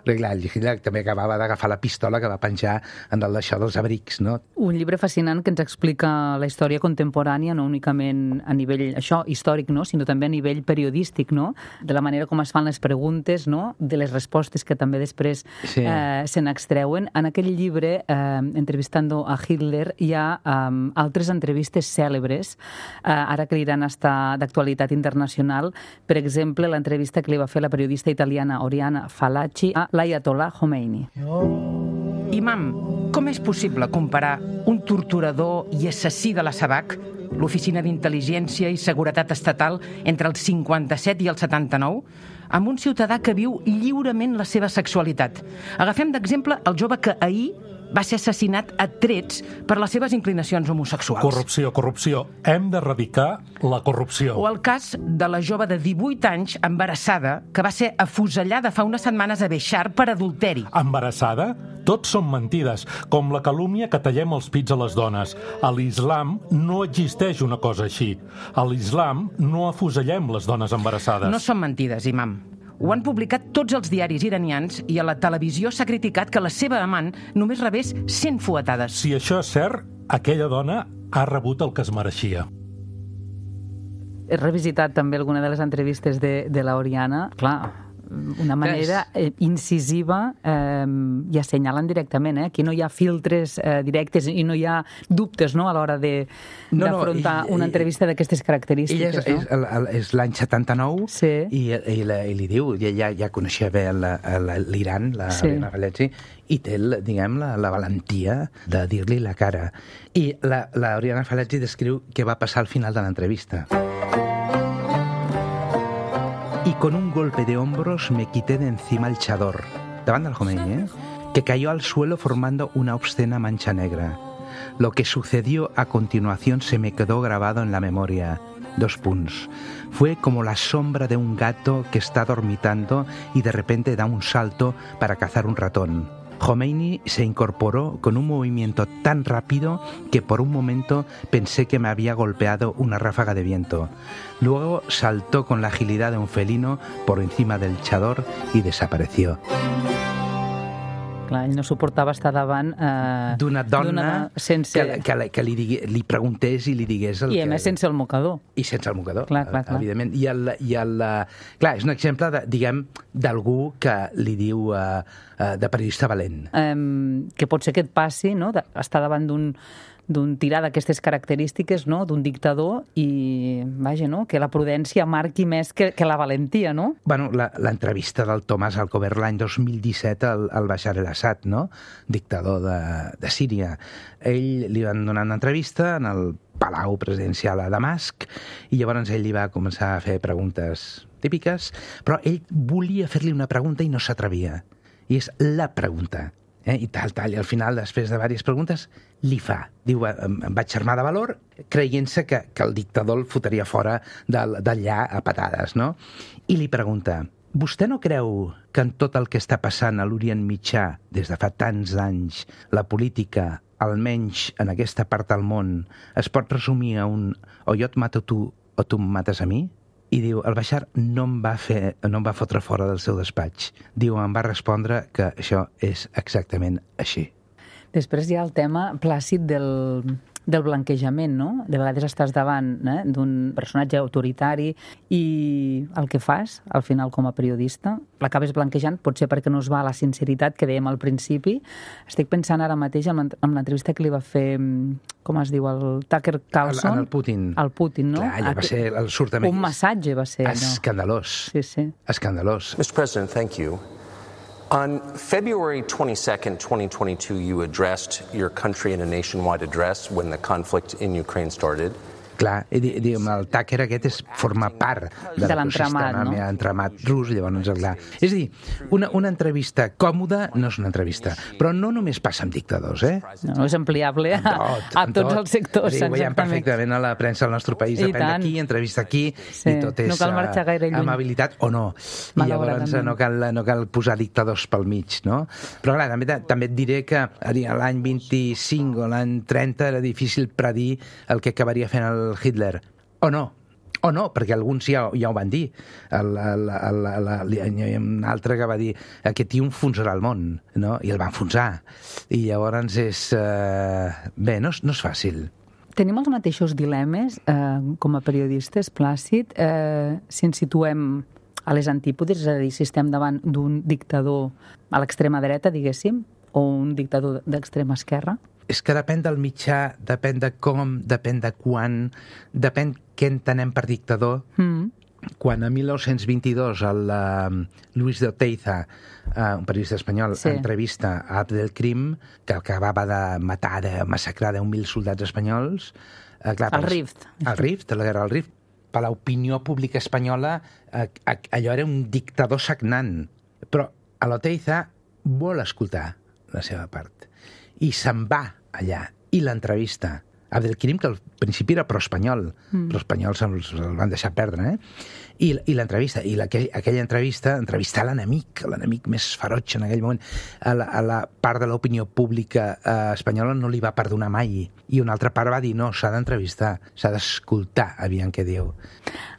Perquè, clar, el Hitler també acabava d'agafar la pistola que va penjar en el d'això dels abrics, no? Un llibre fascinant que ens explica la història contemporània, no únicament a nivell això històric, no? Sinó també a nivell periodístic, no? De la manera com es fan les preguntes, no? De les respostes que també després Sí. eh, se n'extreuen. En aquell llibre, eh, Entrevistando a Hitler, hi ha eh, altres entrevistes cèlebres, eh, ara que aniran a estar d'actualitat internacional. Per exemple, l'entrevista que li va fer la periodista italiana Oriana Fallaci a l'Ayatollah Khomeini. Imam, com és possible comparar un torturador i assassí de la Sabac, l'Oficina d'Intel·ligència i Seguretat Estatal, entre el cinquanta-set i el setanta-nou, amb un ciutadà que viu lliurement la seva sexualitat? Agafem d'exemple el jove que ahir va ser assassinat a trets per les seves inclinacions homosexuals. Corrupció, corrupció. Hem d'erradicar la corrupció. O el cas de la jove de divuit anys embarassada que va ser afusellada fa unes setmanes a Beixar per adulteri. Embarassada? Tots són mentides, com la calúmnia que tallem els pits a les dones. A l'islam no existeix una cosa així. A l'islam no afusellem les dones embarassades. No són mentides, imam. Ho han publicat tots els diaris iranians i a la televisió s'ha criticat que la seva amant només rebés cent fuetades. Si això és cert, aquella dona ha rebut el que es mereixia. He revisitat també alguna de les entrevistes de, de l'Oriana. Clar, una manera eh, incisiva eh, i assenyalen directament. Eh? Aquí no hi ha filtres eh, directes i no hi ha dubtes, no?, a l'hora d'afrontar no, no, una entrevista d'aquestes característiques. Ella és, no? és, el, el, és l'any setanta-nou sí. i, i, la, i li diu, ja, ja coneixia bé l'Iran, la sí. Ariana Faletti, i té, diguem, la, la valentia de dir-li la cara. I la, la Ariana Faletti descriu què va passar al final de l'entrevista. Y con un golpe de hombros me quité de encima el chador, davant del Khomeini, ¿eh? que cayó al suelo formando una obscena mancha negra. Lo que sucedió a continuación se me quedó grabado en la memoria. Dos puntos. Fue como la sombra de un gato que está dormitando y de repente da un salto para cazar un ratón. Khomeini se incorporó con un movimiento tan rápido que por un momento pensé que me había golpeado una ráfaga de viento. Luego saltó con la agilidad de un felino por encima del chador y desapareció. Clar, ell no suportava estar davant eh, d'una dona sense... que, que, que li, digui, li preguntés i li digués... El I a que... més sense el mocador. I sense el mocador, clar, clar, clar. evidentment. I el, i el, clar, és un exemple, de, diguem, d'algú que li diu uh, uh, de periodista valent. Um, que pot ser que et passi, no?, de, estar davant d'un d'un tirà d'aquestes característiques, no?, d'un dictador i, vaja, no?, que la prudència marqui més que, que la valentia, no? Bueno, l'entrevista del Tomàs Alcover l'any dos mil disset al, al Bashar el-Assad, no?, dictador de, de Síria. Ell li van donar una entrevista en el Palau Presidencial a Damasc i llavors ell li va començar a fer preguntes típiques, però ell volia fer-li una pregunta i no s'atrevia. I és la pregunta. Eh? I tal, tal, i al final, després de diverses preguntes, li fa. Diu, em, em vaig armar de valor, creient-se que, que el dictador el fotria fora d'allà a patades, no? I li pregunta, vostè no creu que en tot el que està passant a l'Orient Mitjà, des de fa tants anys, la política, almenys en aquesta part del món, es pot resumir a un o jo et mato tu o tu em mates a mi? I diu, el Bashar no em va fer, no em va fotre fora del seu despatx. Diu, em va respondre que això és exactament així. Després hi ha el tema plàcid del, del blanquejament, no? De vegades estàs davant eh, d'un personatge autoritari i el que fas, al final, com a periodista, l'acabes blanquejant, potser perquè no es va a la sinceritat que dèiem al principi. Estic pensant ara mateix en l'entrevista que li va fer, com es diu, el Tucker Carlson. El, el Putin. El Putin, no? Clar, allò va ser el surtament. Un massatge va ser allò. Escandalós. Sí, sí. Escandalós. mister President, thank you. On February twenty-second, twenty twenty-two, you addressed your country in a nationwide address when the conflict in Ukraine started. Clar, diguem, el Tucker aquest és formar part de, de l'entramat, no? L'entramat rus, llavors, clar. És a dir, una, una entrevista còmoda no és una entrevista, però no només passa amb dictadors, eh? No, és ampliable a, tot, a tots tot. els sectors, sí, ho veiem perfectament a la premsa del nostre país, depèn d'aquí, entrevista aquí, sí. i tot és no cal marxar gaire lluny. Amabilitat o no. I llavors no cal, no cal posar dictadors pel mig, no? Però clar, també, també et diré que l'any vint-i-cinc o l'any trenta era difícil predir el que acabaria fent el Hitler. O no, o no, perquè alguns ja, ja ho van dir. El, el, el, el, el, hi ha un altre que va dir aquest tio enfonsarà el món, no? I el va enfonsar. I llavors és... Eh, bé, no, no és fàcil. Tenim els mateixos dilemes eh, com a periodistes, Plàcid, eh, si ens situem a les antípodes, és a dir, si estem davant d'un dictador a l'extrema dreta, diguéssim, o un dictador d'extrema esquerra? És que depèn del mitjà, depèn de com, depèn de quan, depèn què entenem per dictador. Mm. Quan a mil nou-cents vint-i-dos el uh, Luis de Oteiza, uh, un periodista espanyol, sí. entrevista a Abdelkrim, que acabava de matar, de massacrar deu mil soldats espanyols... Uh, clar, el Rift. El Rift, la guerra del Rift. Per l'opinió pública espanyola, uh, allò era un dictador sagnant. Però a l'Oteiza vol escoltar la seva part. I se'n va allà. I l'entrevista. Abdelkrim, que al principi era pro-espanyol, mm. però els espanyols se'l se van deixar perdre, eh? I, i l'entrevista, i aquell, aquella entrevista, entrevistar l'enemic, l'enemic més ferotge en aquell moment, a la, a la part de l'opinió pública eh, espanyola no li va perdonar mai. I una altra part va dir, no, s'ha d'entrevistar, s'ha d'escoltar, aviam què diu.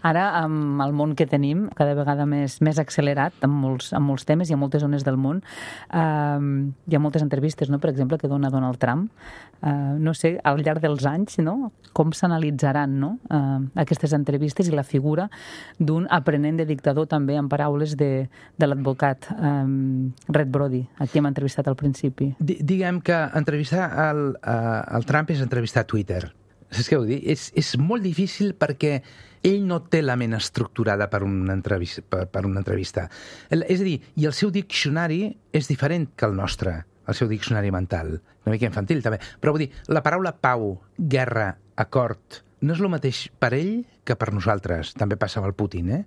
Ara, amb el món que tenim, cada vegada més, més accelerat, amb molts, amb molts temes i a moltes zones del món, eh, hi ha moltes entrevistes, no?, per exemple, que dona Donald Trump. Eh, no sé, al llarg dels anys, no?, com s'analitzaran, no?, eh, aquestes entrevistes i la figura d'un d'un aprenent de dictador, també en paraules de, de l'advocat um, Red Brody, a qui hem entrevistat al principi. D diguem que entrevistar el, uh, el Trump és entrevistar Twitter. Saps què vull dir? És, és molt difícil perquè ell no té la ment estructurada per una entrevista. Per, per una entrevista. El, és a dir, i el seu diccionari és diferent que el nostre, el seu diccionari mental. Una mica infantil, també. Però vull dir, la paraula pau, guerra, acord, no és el mateix per ell que per nosaltres. També passa amb el Putin, eh?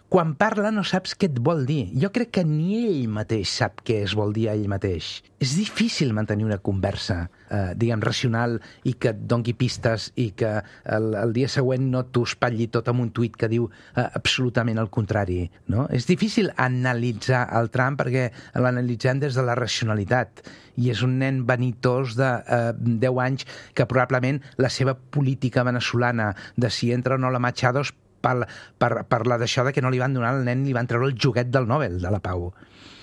Quan parla no saps què et vol dir. Jo crec que ni ell mateix sap què es vol dir a ell mateix. És difícil mantenir una conversa, eh, diguem, racional i que et doni pistes i que el, el dia següent no t'ho espatlli tot amb un tuit que diu eh, absolutament el contrari. No? És difícil analitzar el Trump perquè l'analitzem des de la racionalitat i és un nen vanitós de eh, deu anys que probablement la seva política venezolana de si entra o no la Machados per, per, per la d'això de que no li van donar al nen, li van treure el joguet del Nobel de la Pau.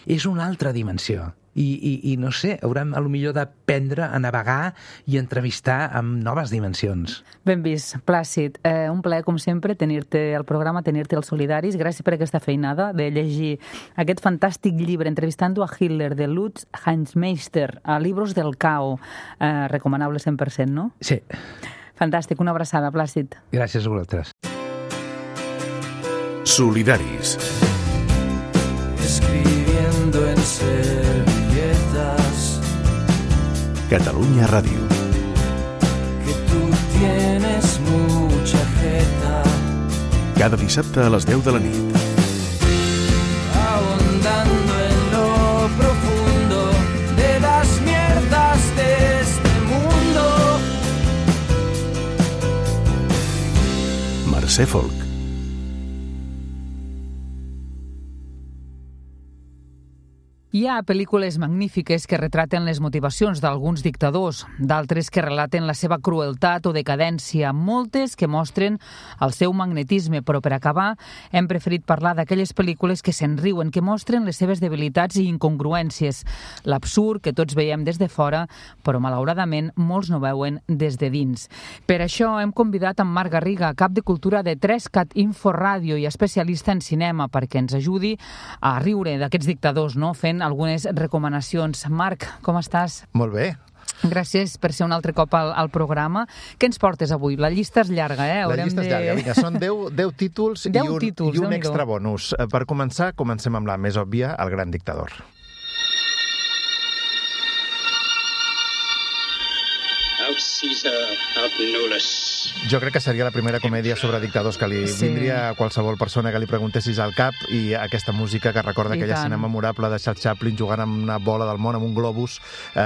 És una altra dimensió. I, i, i no sé, haurem a lo millor d'aprendre a navegar i entrevistar amb noves dimensions. Ben vist, Plàcid. Eh, un plaer, com sempre, tenir-te al programa, tenir-te als Solidaris. Gràcies per aquesta feinada de llegir aquest fantàstic llibre entrevistant a Hitler de Lutz Hansmeister, a Libros del Cao. Eh, recomanable cent per cent, no? Sí. Fantàstic, una abraçada, Plàcid. Gràcies a vosaltres. Solidaris. Escribiendo en servilletas. Catalunya Ràdio. Que tú tienes mucha jeta. Cada dissabte a les deu de la nit. Ahondando en lo profundo de las mierdas de este mundo. Mercè Folk. Hi ha pel·lícules magnífiques que retraten les motivacions d'alguns dictadors, d'altres que relaten la seva crueltat o decadència, moltes que mostren el seu magnetisme, però per acabar hem preferit parlar d'aquelles pel·lícules que se'n riuen, que mostren les seves debilitats i incongruències, l'absurd que tots veiem des de fora, però malauradament molts no veuen des de dins. Per això hem convidat en Marc Garriga, cap de cultura de tres cat Info Ràdio i especialista en cinema, perquè ens ajudi a riure d'aquests dictadors, no? Fent algunes recomanacions. Marc, com estàs? Molt bé. Gràcies per ser un altre cop al, al programa. Què ens portes avui? La llista és llarga, eh? Haurem la llista de... és llarga. Vinga, són deu títols i un, títols, i un extra bonus. Per començar, comencem amb la més òbvia, El gran dictador. Out Caesar, out Nulles. Jo crec que seria la primera comèdia sobre dictadors que li sí. vindria a qualsevol persona que li preguntessis al cap, i aquesta música que recorda I aquella tant. escena memorable de Charles Chaplin jugant amb una bola del món, amb un globus. Eh,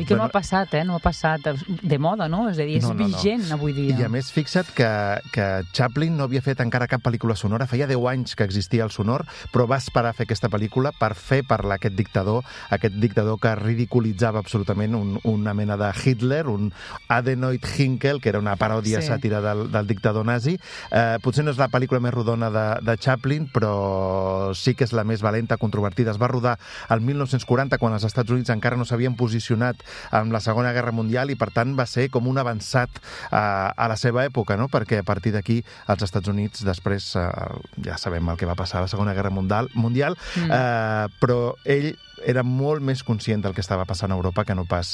I que bueno, no ha passat, eh? No ha passat de moda, no? És a dir, és no, no, vigent no. avui dia. I a més, fixa't que, que Chaplin no havia fet encara cap pel·lícula sonora, feia deu anys que existia el sonor, però va esperar a fer aquesta pel·lícula per fer parlar aquest dictador, aquest dictador que ridiculitzava absolutament un, una mena de Hitler, un Adenoid Hinkel, que era una paròdia sí. sàtira del, del dictador nazi. Eh, potser no és la pel·lícula més rodona de, de Chaplin, però sí que és la més valenta, controvertida. Es va rodar el mil nou-cents quaranta, quan els Estats Units encara no s'havien posicionat en la Segona Guerra Mundial, i per tant va ser com un avançat a, a la seva època, no? Perquè a partir d'aquí els Estats Units després eh, ja sabem el que va passar a la Segona Guerra Mundial, mundial mm. eh, però ell era molt més conscient del que estava passant a Europa que no pas,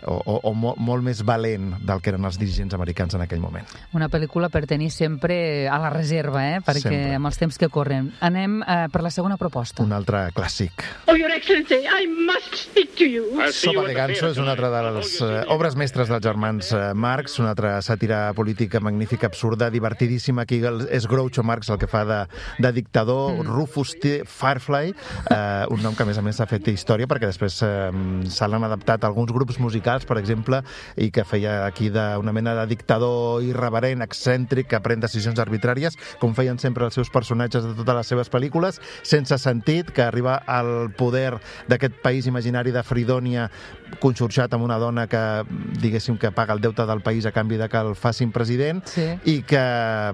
o, o, o molt, molt més valent del que eren els dirigents americans en aquell moment. Una pel·lícula per tenir sempre a la reserva, eh? Perquè sempre. Amb els temps que corren. Anem eh, per la segona proposta. Un altre clàssic. Oh, Your Excellency, I must speak to you. Sopa de Ganso és una altra de les uh, obres mestres dels germans uh, Marx, una altra sàtira política magnífica, absurda, divertidíssima. Aquí és Groucho Marx el que fa de, de dictador, mm. Rufus T. Firefly, uh, un nom que a més a més s'ha fet història, perquè després eh, se l'han adaptat a alguns grups musicals, per exemple, i que feia aquí d'una mena de dictador irreverent, excèntric, que pren decisions arbitràries, com feien sempre els seus personatges de totes les seves pel·lícules, sense sentit, que arriba al poder d'aquest país imaginari de Fridònia, conxorxat amb una dona que, diguéssim, que paga el deute del país a canvi de que el facin president, sí. i que,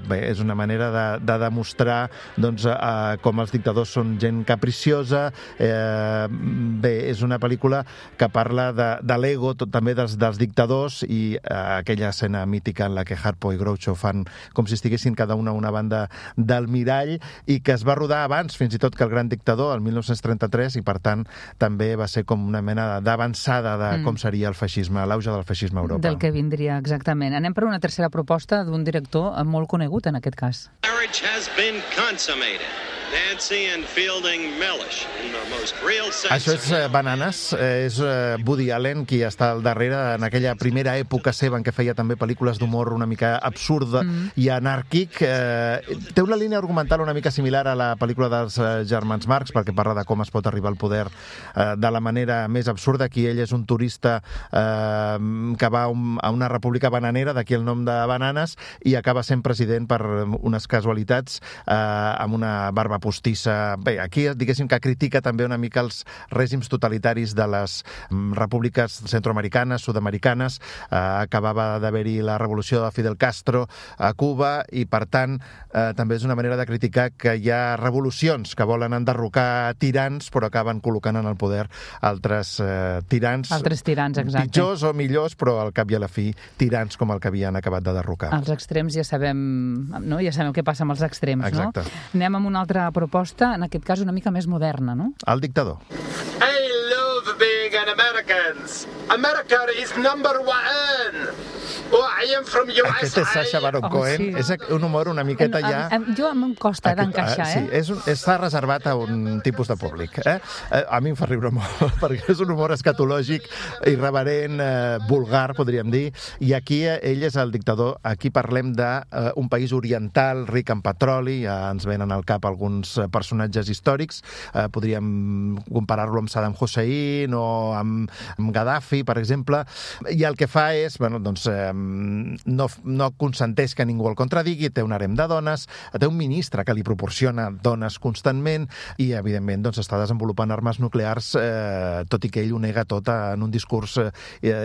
bé, és una manera de, de demostrar doncs, eh, com els dictadors són gent capriciosa. eh, Bé, és una pel·lícula que parla de, de l'ego, també dels, dels dictadors, i eh, aquella escena mítica en la la que Harpo i Groucho fan com si estiguessin cada una a una banda del mirall, i que es va rodar abans, fins i tot que El gran dictador, el mil nou-cents trenta-tres, i per tant també va ser com una mena d'avançada de com seria el feixisme, l'auge del feixisme a Europa. Del que vindria, exactament. Anem per una tercera proposta d'un director molt conegut en aquest cas. Marriage has been consummated. Nancy and Fielding Mellish, in the most real sense. Això és eh, Bananes, eh, és eh, Woody Allen qui està al darrere en aquella primera època seva en què feia també pel·lícules d'humor una mica absurda mm. i anàrquic. Eh, té una línia argumental una mica similar a la pel·lícula dels eh, germans Marx, perquè parla de com es pot arribar al poder eh, de la manera més absurda. Aquí ell és un turista eh, que va un, a una república bananera, d'aquí el nom de Bananes, i acaba sent president per unes casualitats eh, amb una barba postissa. Bé, aquí diguéssim que critica també una mica els règims totalitaris de les repúbliques centroamericanes, sud-americanes. Eh, acabava d'haver-hi la revolució de Fidel Castro a Cuba i, per tant, eh, també és una manera de criticar que hi ha revolucions que volen enderrocar tirans però acaben col·locant en el poder altres eh, tirans. Altres tirans, exacte. Pitjors o millors, però al cap i a la fi tirans com el que havien acabat de derrocar. Els extrems ja sabem, no? Ja sabem què passa amb els extrems, exacte. No? Anem amb una altra proposta, en aquest cas una mica més moderna, no? El dictador. I love being an American. America is number one. Oh, I am from U S A. Aquest és Sacha Baron Cohen. Oh, sí. És un humor una miqueta ja... A, a, jo em costa d'encaixar, eh? Sí, és un, està reservat a un tipus de públic. Eh? A mi em fa riure molt, perquè és un humor escatològic, irreverent, eh, vulgar, podríem dir, i aquí eh, ell és el dictador. Aquí parlem d'un eh, país oriental ric en petroli, ja ens venen al cap alguns personatges històrics, eh, podríem comparar-lo amb Saddam Hussein o amb, amb Gaddafi, per exemple, i el que fa és, bueno, doncs, eh, no, no consenteix que ningú el contradigui, té un harem de dones, té un ministre que li proporciona dones constantment i, evidentment, doncs, està desenvolupant armes nuclears, eh, tot i que ell ho nega tot en un discurs eh,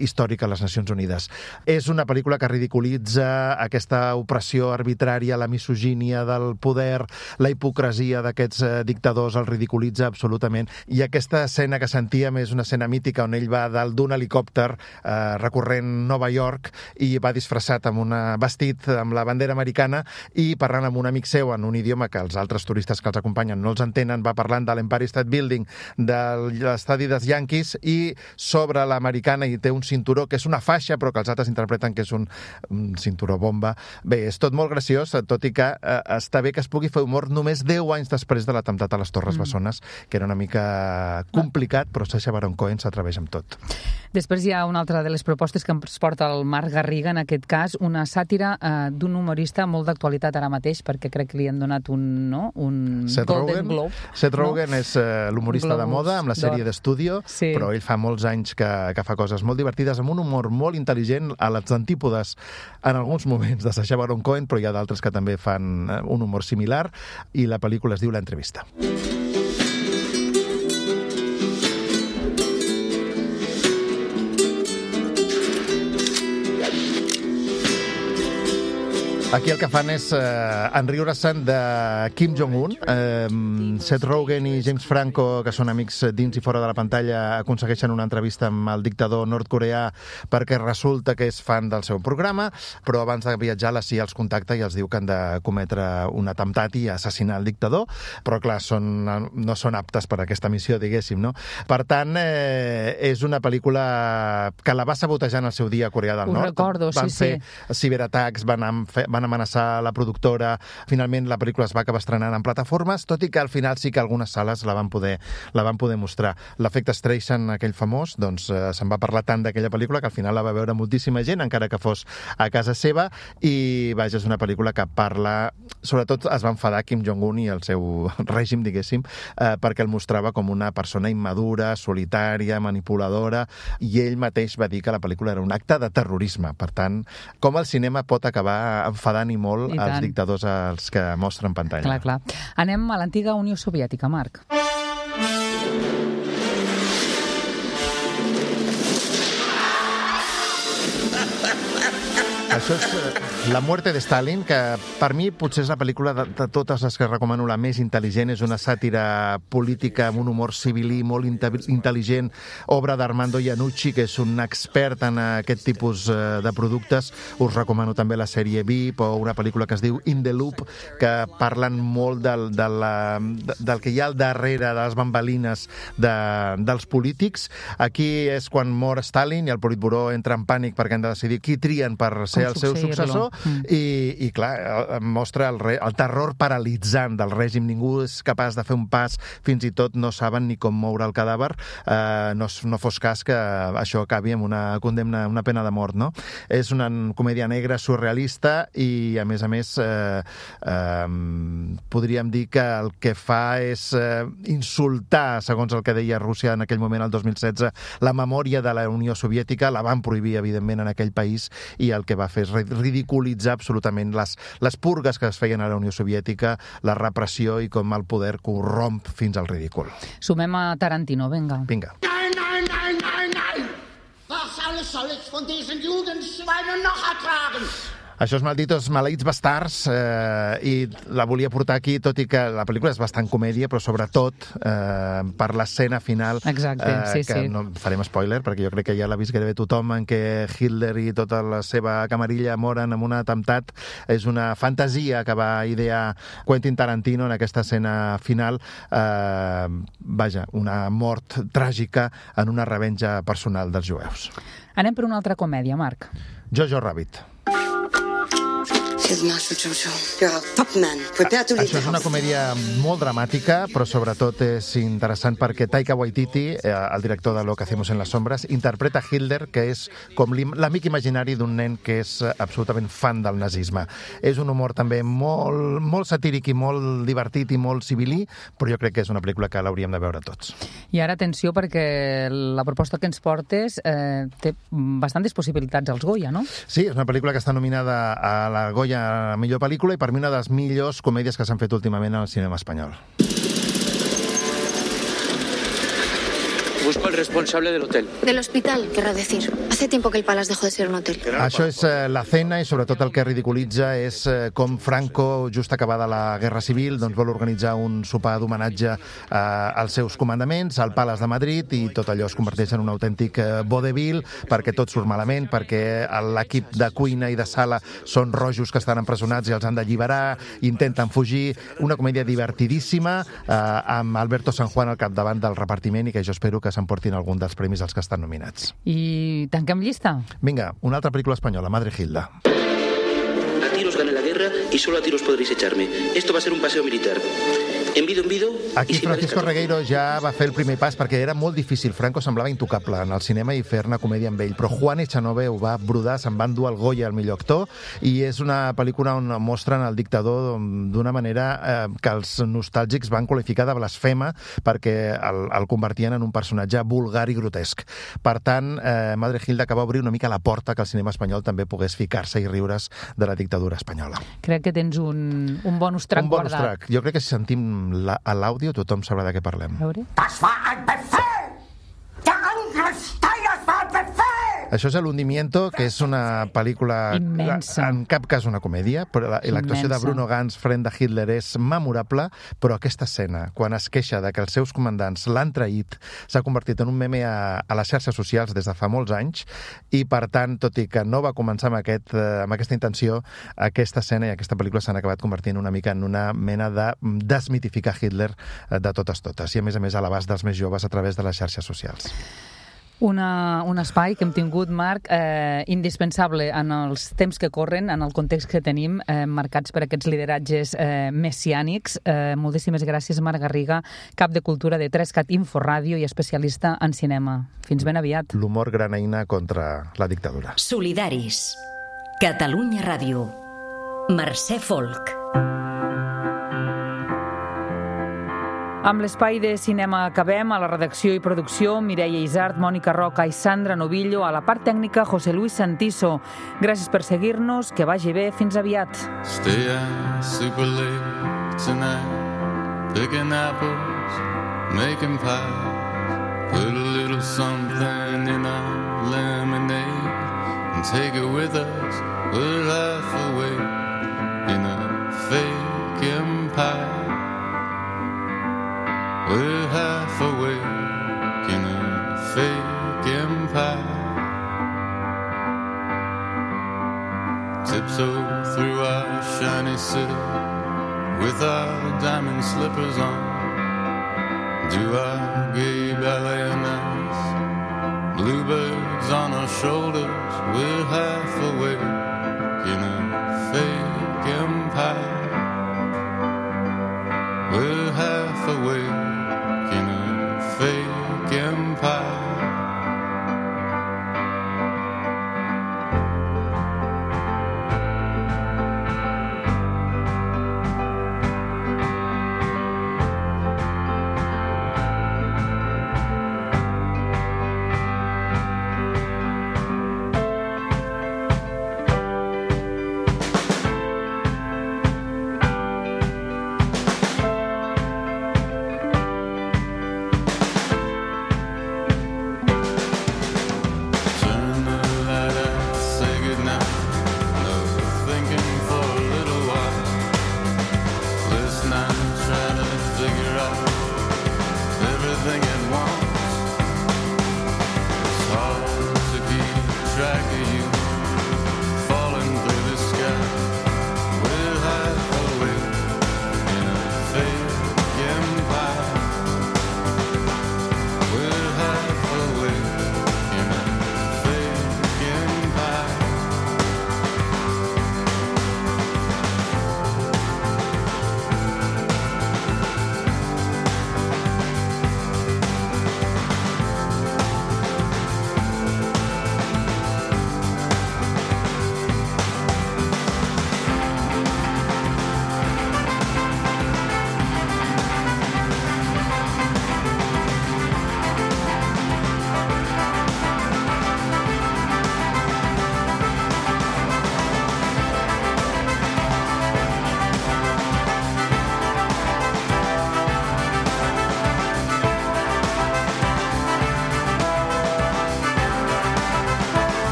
històric a les Nacions Unides. És una pel·lícula que ridiculitza aquesta opressió arbitrària, la misogínia del poder, la hipocresia d'aquests eh, dictadors, el ridiculitza absolutament, i aquesta escena que sentíem és una escena mítica on ell va dalt d'un helicòpter eh, recorrent Nova York i va disfressat amb un vestit amb la bandera americana i parlant amb un amic seu en un idioma que els altres turistes que els acompanyen no els entenen, va parlant de l'Empire State Building, de l'estadi dels Yankees, i sobre l'americana hi té un cinturó que és una faixa però que els altres interpreten que és un, un cinturó bomba. Bé, és tot molt graciós, tot i que eh, està bé que es pugui fer humor només deu anys després de l'atemptat a les Torres mm. Bessones, que era una mica complicat, però Sacha Baron Cohen s'atreveix amb tot. Després hi ha una altra de les propostes que ens porta el Marc Garriga, en aquest cas, una sàtira eh, d'un humorista molt d'actualitat ara mateix, perquè crec que li han donat un, no? un Seth Golden Rogen. Globe. Seth Rogen no? és uh, l'humorista de moda, amb la sèrie d'Estudio, sí. Però ell fa molts anys que, que fa coses molt divertides, amb un humor molt intel·ligent, a les antípodes en alguns moments de Sacha Baron Cohen, però hi ha d'altres que també fan un humor similar, i la pel·lícula es diu L'entrevista. Aquí el que fan és eh, enriure-se'n de Kim Jong-un. Eh, Seth Rogen i James Franco, que són amics dins i fora de la pantalla, aconsegueixen una entrevista amb el dictador nord-coreà perquè resulta que és fan del seu programa, però abans de viatjar la C I A els contacta i els diu que han de cometre un atemptat i assassinar el dictador, però clar, són, no són aptes per a aquesta missió, diguéssim, no? Per tant, eh, és una pel·lícula que la va sabotejar en el seu dia a Corea del Ho Nord. recordo, van sí, fer sí. ciberatacs, van, fer, van amenaçar la productora, finalment la pel·lícula es va acabar estrenant en plataformes, tot i que al final sí que algunes sales la van poder, la van poder mostrar. L'efecte Streisand, aquell famós, doncs eh, se'n va parlar tant d'aquella pel·lícula que al final la va veure moltíssima gent, encara que fos a casa seva, i vaja, és una pel·lícula que parla, sobretot es va enfadar Kim Jong-un i el seu règim, diguéssim, eh, perquè el mostrava com una persona immadura, solitària, manipuladora, i ell mateix va dir que la pel·lícula era un acte de terrorisme. Per tant, com el cinema pot acabar enfadant i molt I als tant. dictadors als que mostren pantalla. Clar, clar. Anem a l'antiga Unió Soviètica, Marc. Això és La muerte de Stalin, que per mi potser és la pel·lícula de, de totes les que recomano la més intel·ligent. És una sàtira política amb un humor civilí molt intel·ligent, obra d'Armando Iannucci, que és un expert en aquest tipus de productes. Us recomano també la sèrie V I P o una pel·lícula que es diu In the Loop, que parlen molt del, de la, del que hi ha al darrere de les bambalines de, dels polítics. Aquí és quan mor Stalin i el Politburó entra en pànic perquè han de decidir qui trien per ser el seu successor mm. i, i clar, mostra el, re, el terror paralitzant del règim. Ningú és capaç de fer un pas, fins i tot no saben ni com moure el cadàver. Eh, no, no fos cas que això acabi amb una condemna, una pena de mort, no? És una comèdia negra surrealista i, a més a més, eh, eh, podríem dir que el que fa és eh, insultar, segons el que deia Rússia en aquell moment, el dos mil setze, la memòria de la Unió Soviètica. La van prohibir, evidentment, en aquell país, i el que va fer és ridiculitzar absolutament les, les purgues que es feien a la Unió Soviètica, la repressió i com el poder corromp fins al ridícul. Sumem a Tarantino, vinga. Vinga. Nein, nein, nein, nein, nein! Was alles soll ich von diesen Jugendschweinen noch ertragen? Això és Malditos Maleïts Bastards, eh, i la volia portar aquí, tot i que la pel·lícula és bastant comèdia, però sobretot eh, per l'escena final. Exacte, eh, sí, que sí. No farem spoiler, perquè jo crec que ja l'ha vist gairebé tothom, en què Hitler i tota la seva camarilla moren en un atemptat. És una fantasia que va idear Quentin Tarantino en aquesta escena final. Eh, vaja, una mort tràgica en una revenja personal dels jueus. Anem per una altra comèdia, Marc. Jojo Rabbit. Això és una comèdia molt dramàtica, però sobretot és interessant perquè Taika Waititi, el director de Lo que hacemos en las sombras, interpreta Hitler, que és com l'amic imaginari d'un nen que és absolutament fan del nazisme. És un humor també molt, molt satíric i molt divertit i molt civilí, però jo crec que és una pel·lícula que l'hauríem de veure tots. I ara atenció, perquè la proposta que ens portes eh, té bastantes possibilitats als Goya, no? Sí, és una pel·lícula que està nominada a la Goya a millor pel·lícula i per mi una de les millors comèdies que s'han fet últimament al cinema espanyol. Busco al responsable del hotel. Del hospital, querrá decir. Hace tiempo que el Palace dejó de ser un hotel. Això és eh, La Cena, i sobretot el que ridiculitza és eh, com Franco, just acabada la Guerra Civil, doncs vol organitzar un sopar d'homenatge eh, als seus comandaments al Palace de Madrid, i tot allò es converteix en un autèntic eh, vodevil, perquè tot surt malament, perquè l'equip de cuina i de sala són rojos que estan empresonats i els han d'alliberar, intenten fugir. Una comèdia divertidíssima, eh, amb Alberto San Juan al capdavant del repartiment, i que jo espero que s'emportin algun dels premis als que estan nominats. I tanquem llista. Vinga, una altra pel·lícula espanyola, Madre Hilda. A tiros gané la guerra y solo a tiros podréis echarme. Esto va a ser un paseo militar. Envido, envido... Aquí Francisco Regueiro ja va fer el primer pas, perquè era molt difícil. Franco semblava intocable en el cinema i fer-ne comèdia amb ell, però Juan Echanove ho va brodar, se'n va endur el Goya al millor actor, i és una pel·lícula on mostren el dictador d'una manera eh, que els nostàlgics van qualificar de blasfema, perquè el, el convertien en un personatge vulgar i grotesc. Per tant, eh, Madre Hilda que va obrir una mica la porta que el cinema espanyol també pogués ficar-se i riure's de la dictadura espanyola. Crec que tens un, un bonus track un bonus guardat. Track. Jo crec que si sentim La, a l'àudio tothom sabrà de què parlem. Das war ein Befehl! Der Angriff Steiners war ein Befehl! Això és El hundimiento, que és una pel·lícula immensa. En cap cas una comèdia, però l'actuació de Bruno Ganz front de Hitler és memorable, però aquesta escena, quan es queixa de que els seus comandants l'han traït, s'ha convertit en un meme a, a les xarxes socials des de fa molts anys, i per tant, tot i que no va començar amb, aquest, amb aquesta intenció, aquesta escena i aquesta pel·lícula s'han acabat convertint una mica en una mena de desmitificar Hitler de totes totes, i a més a més a l'abast dels més joves a través de les xarxes socials. Una, un espai que hem tingut, Marc, eh, indispensable en els temps que corren, en el context que tenim, eh, marcats per aquests lideratges eh, messiànics. Eh, moltíssimes gràcies, Marc Garriga, cap de cultura de Trescat Inforàdio i especialista en cinema. Fins ben aviat. L'humor gran eina contra la dictadura. Solidaris. Catalunya Ràdio. Mercè Folk. Amb l'espai de cinema acabem. A la redacció i producció, Mireia Isart, Mònica Roca i Sandra Novillo. A la part tècnica, José Luis Santiso. Gràcies per seguir-nos, que vagi bé, fins aviat. Stay out super late tonight, picking apples, making pies, put a little something in our lemonade and take it with us We're half awake in a fake empire. We're half awake in a fake empire. Tiptoe through our shiny city with our diamond slippers on. Do our gay ballet on ice. Bluebirds on our shoulders. We're half awake in a fake empire. We're half awake in a fake empire. Everything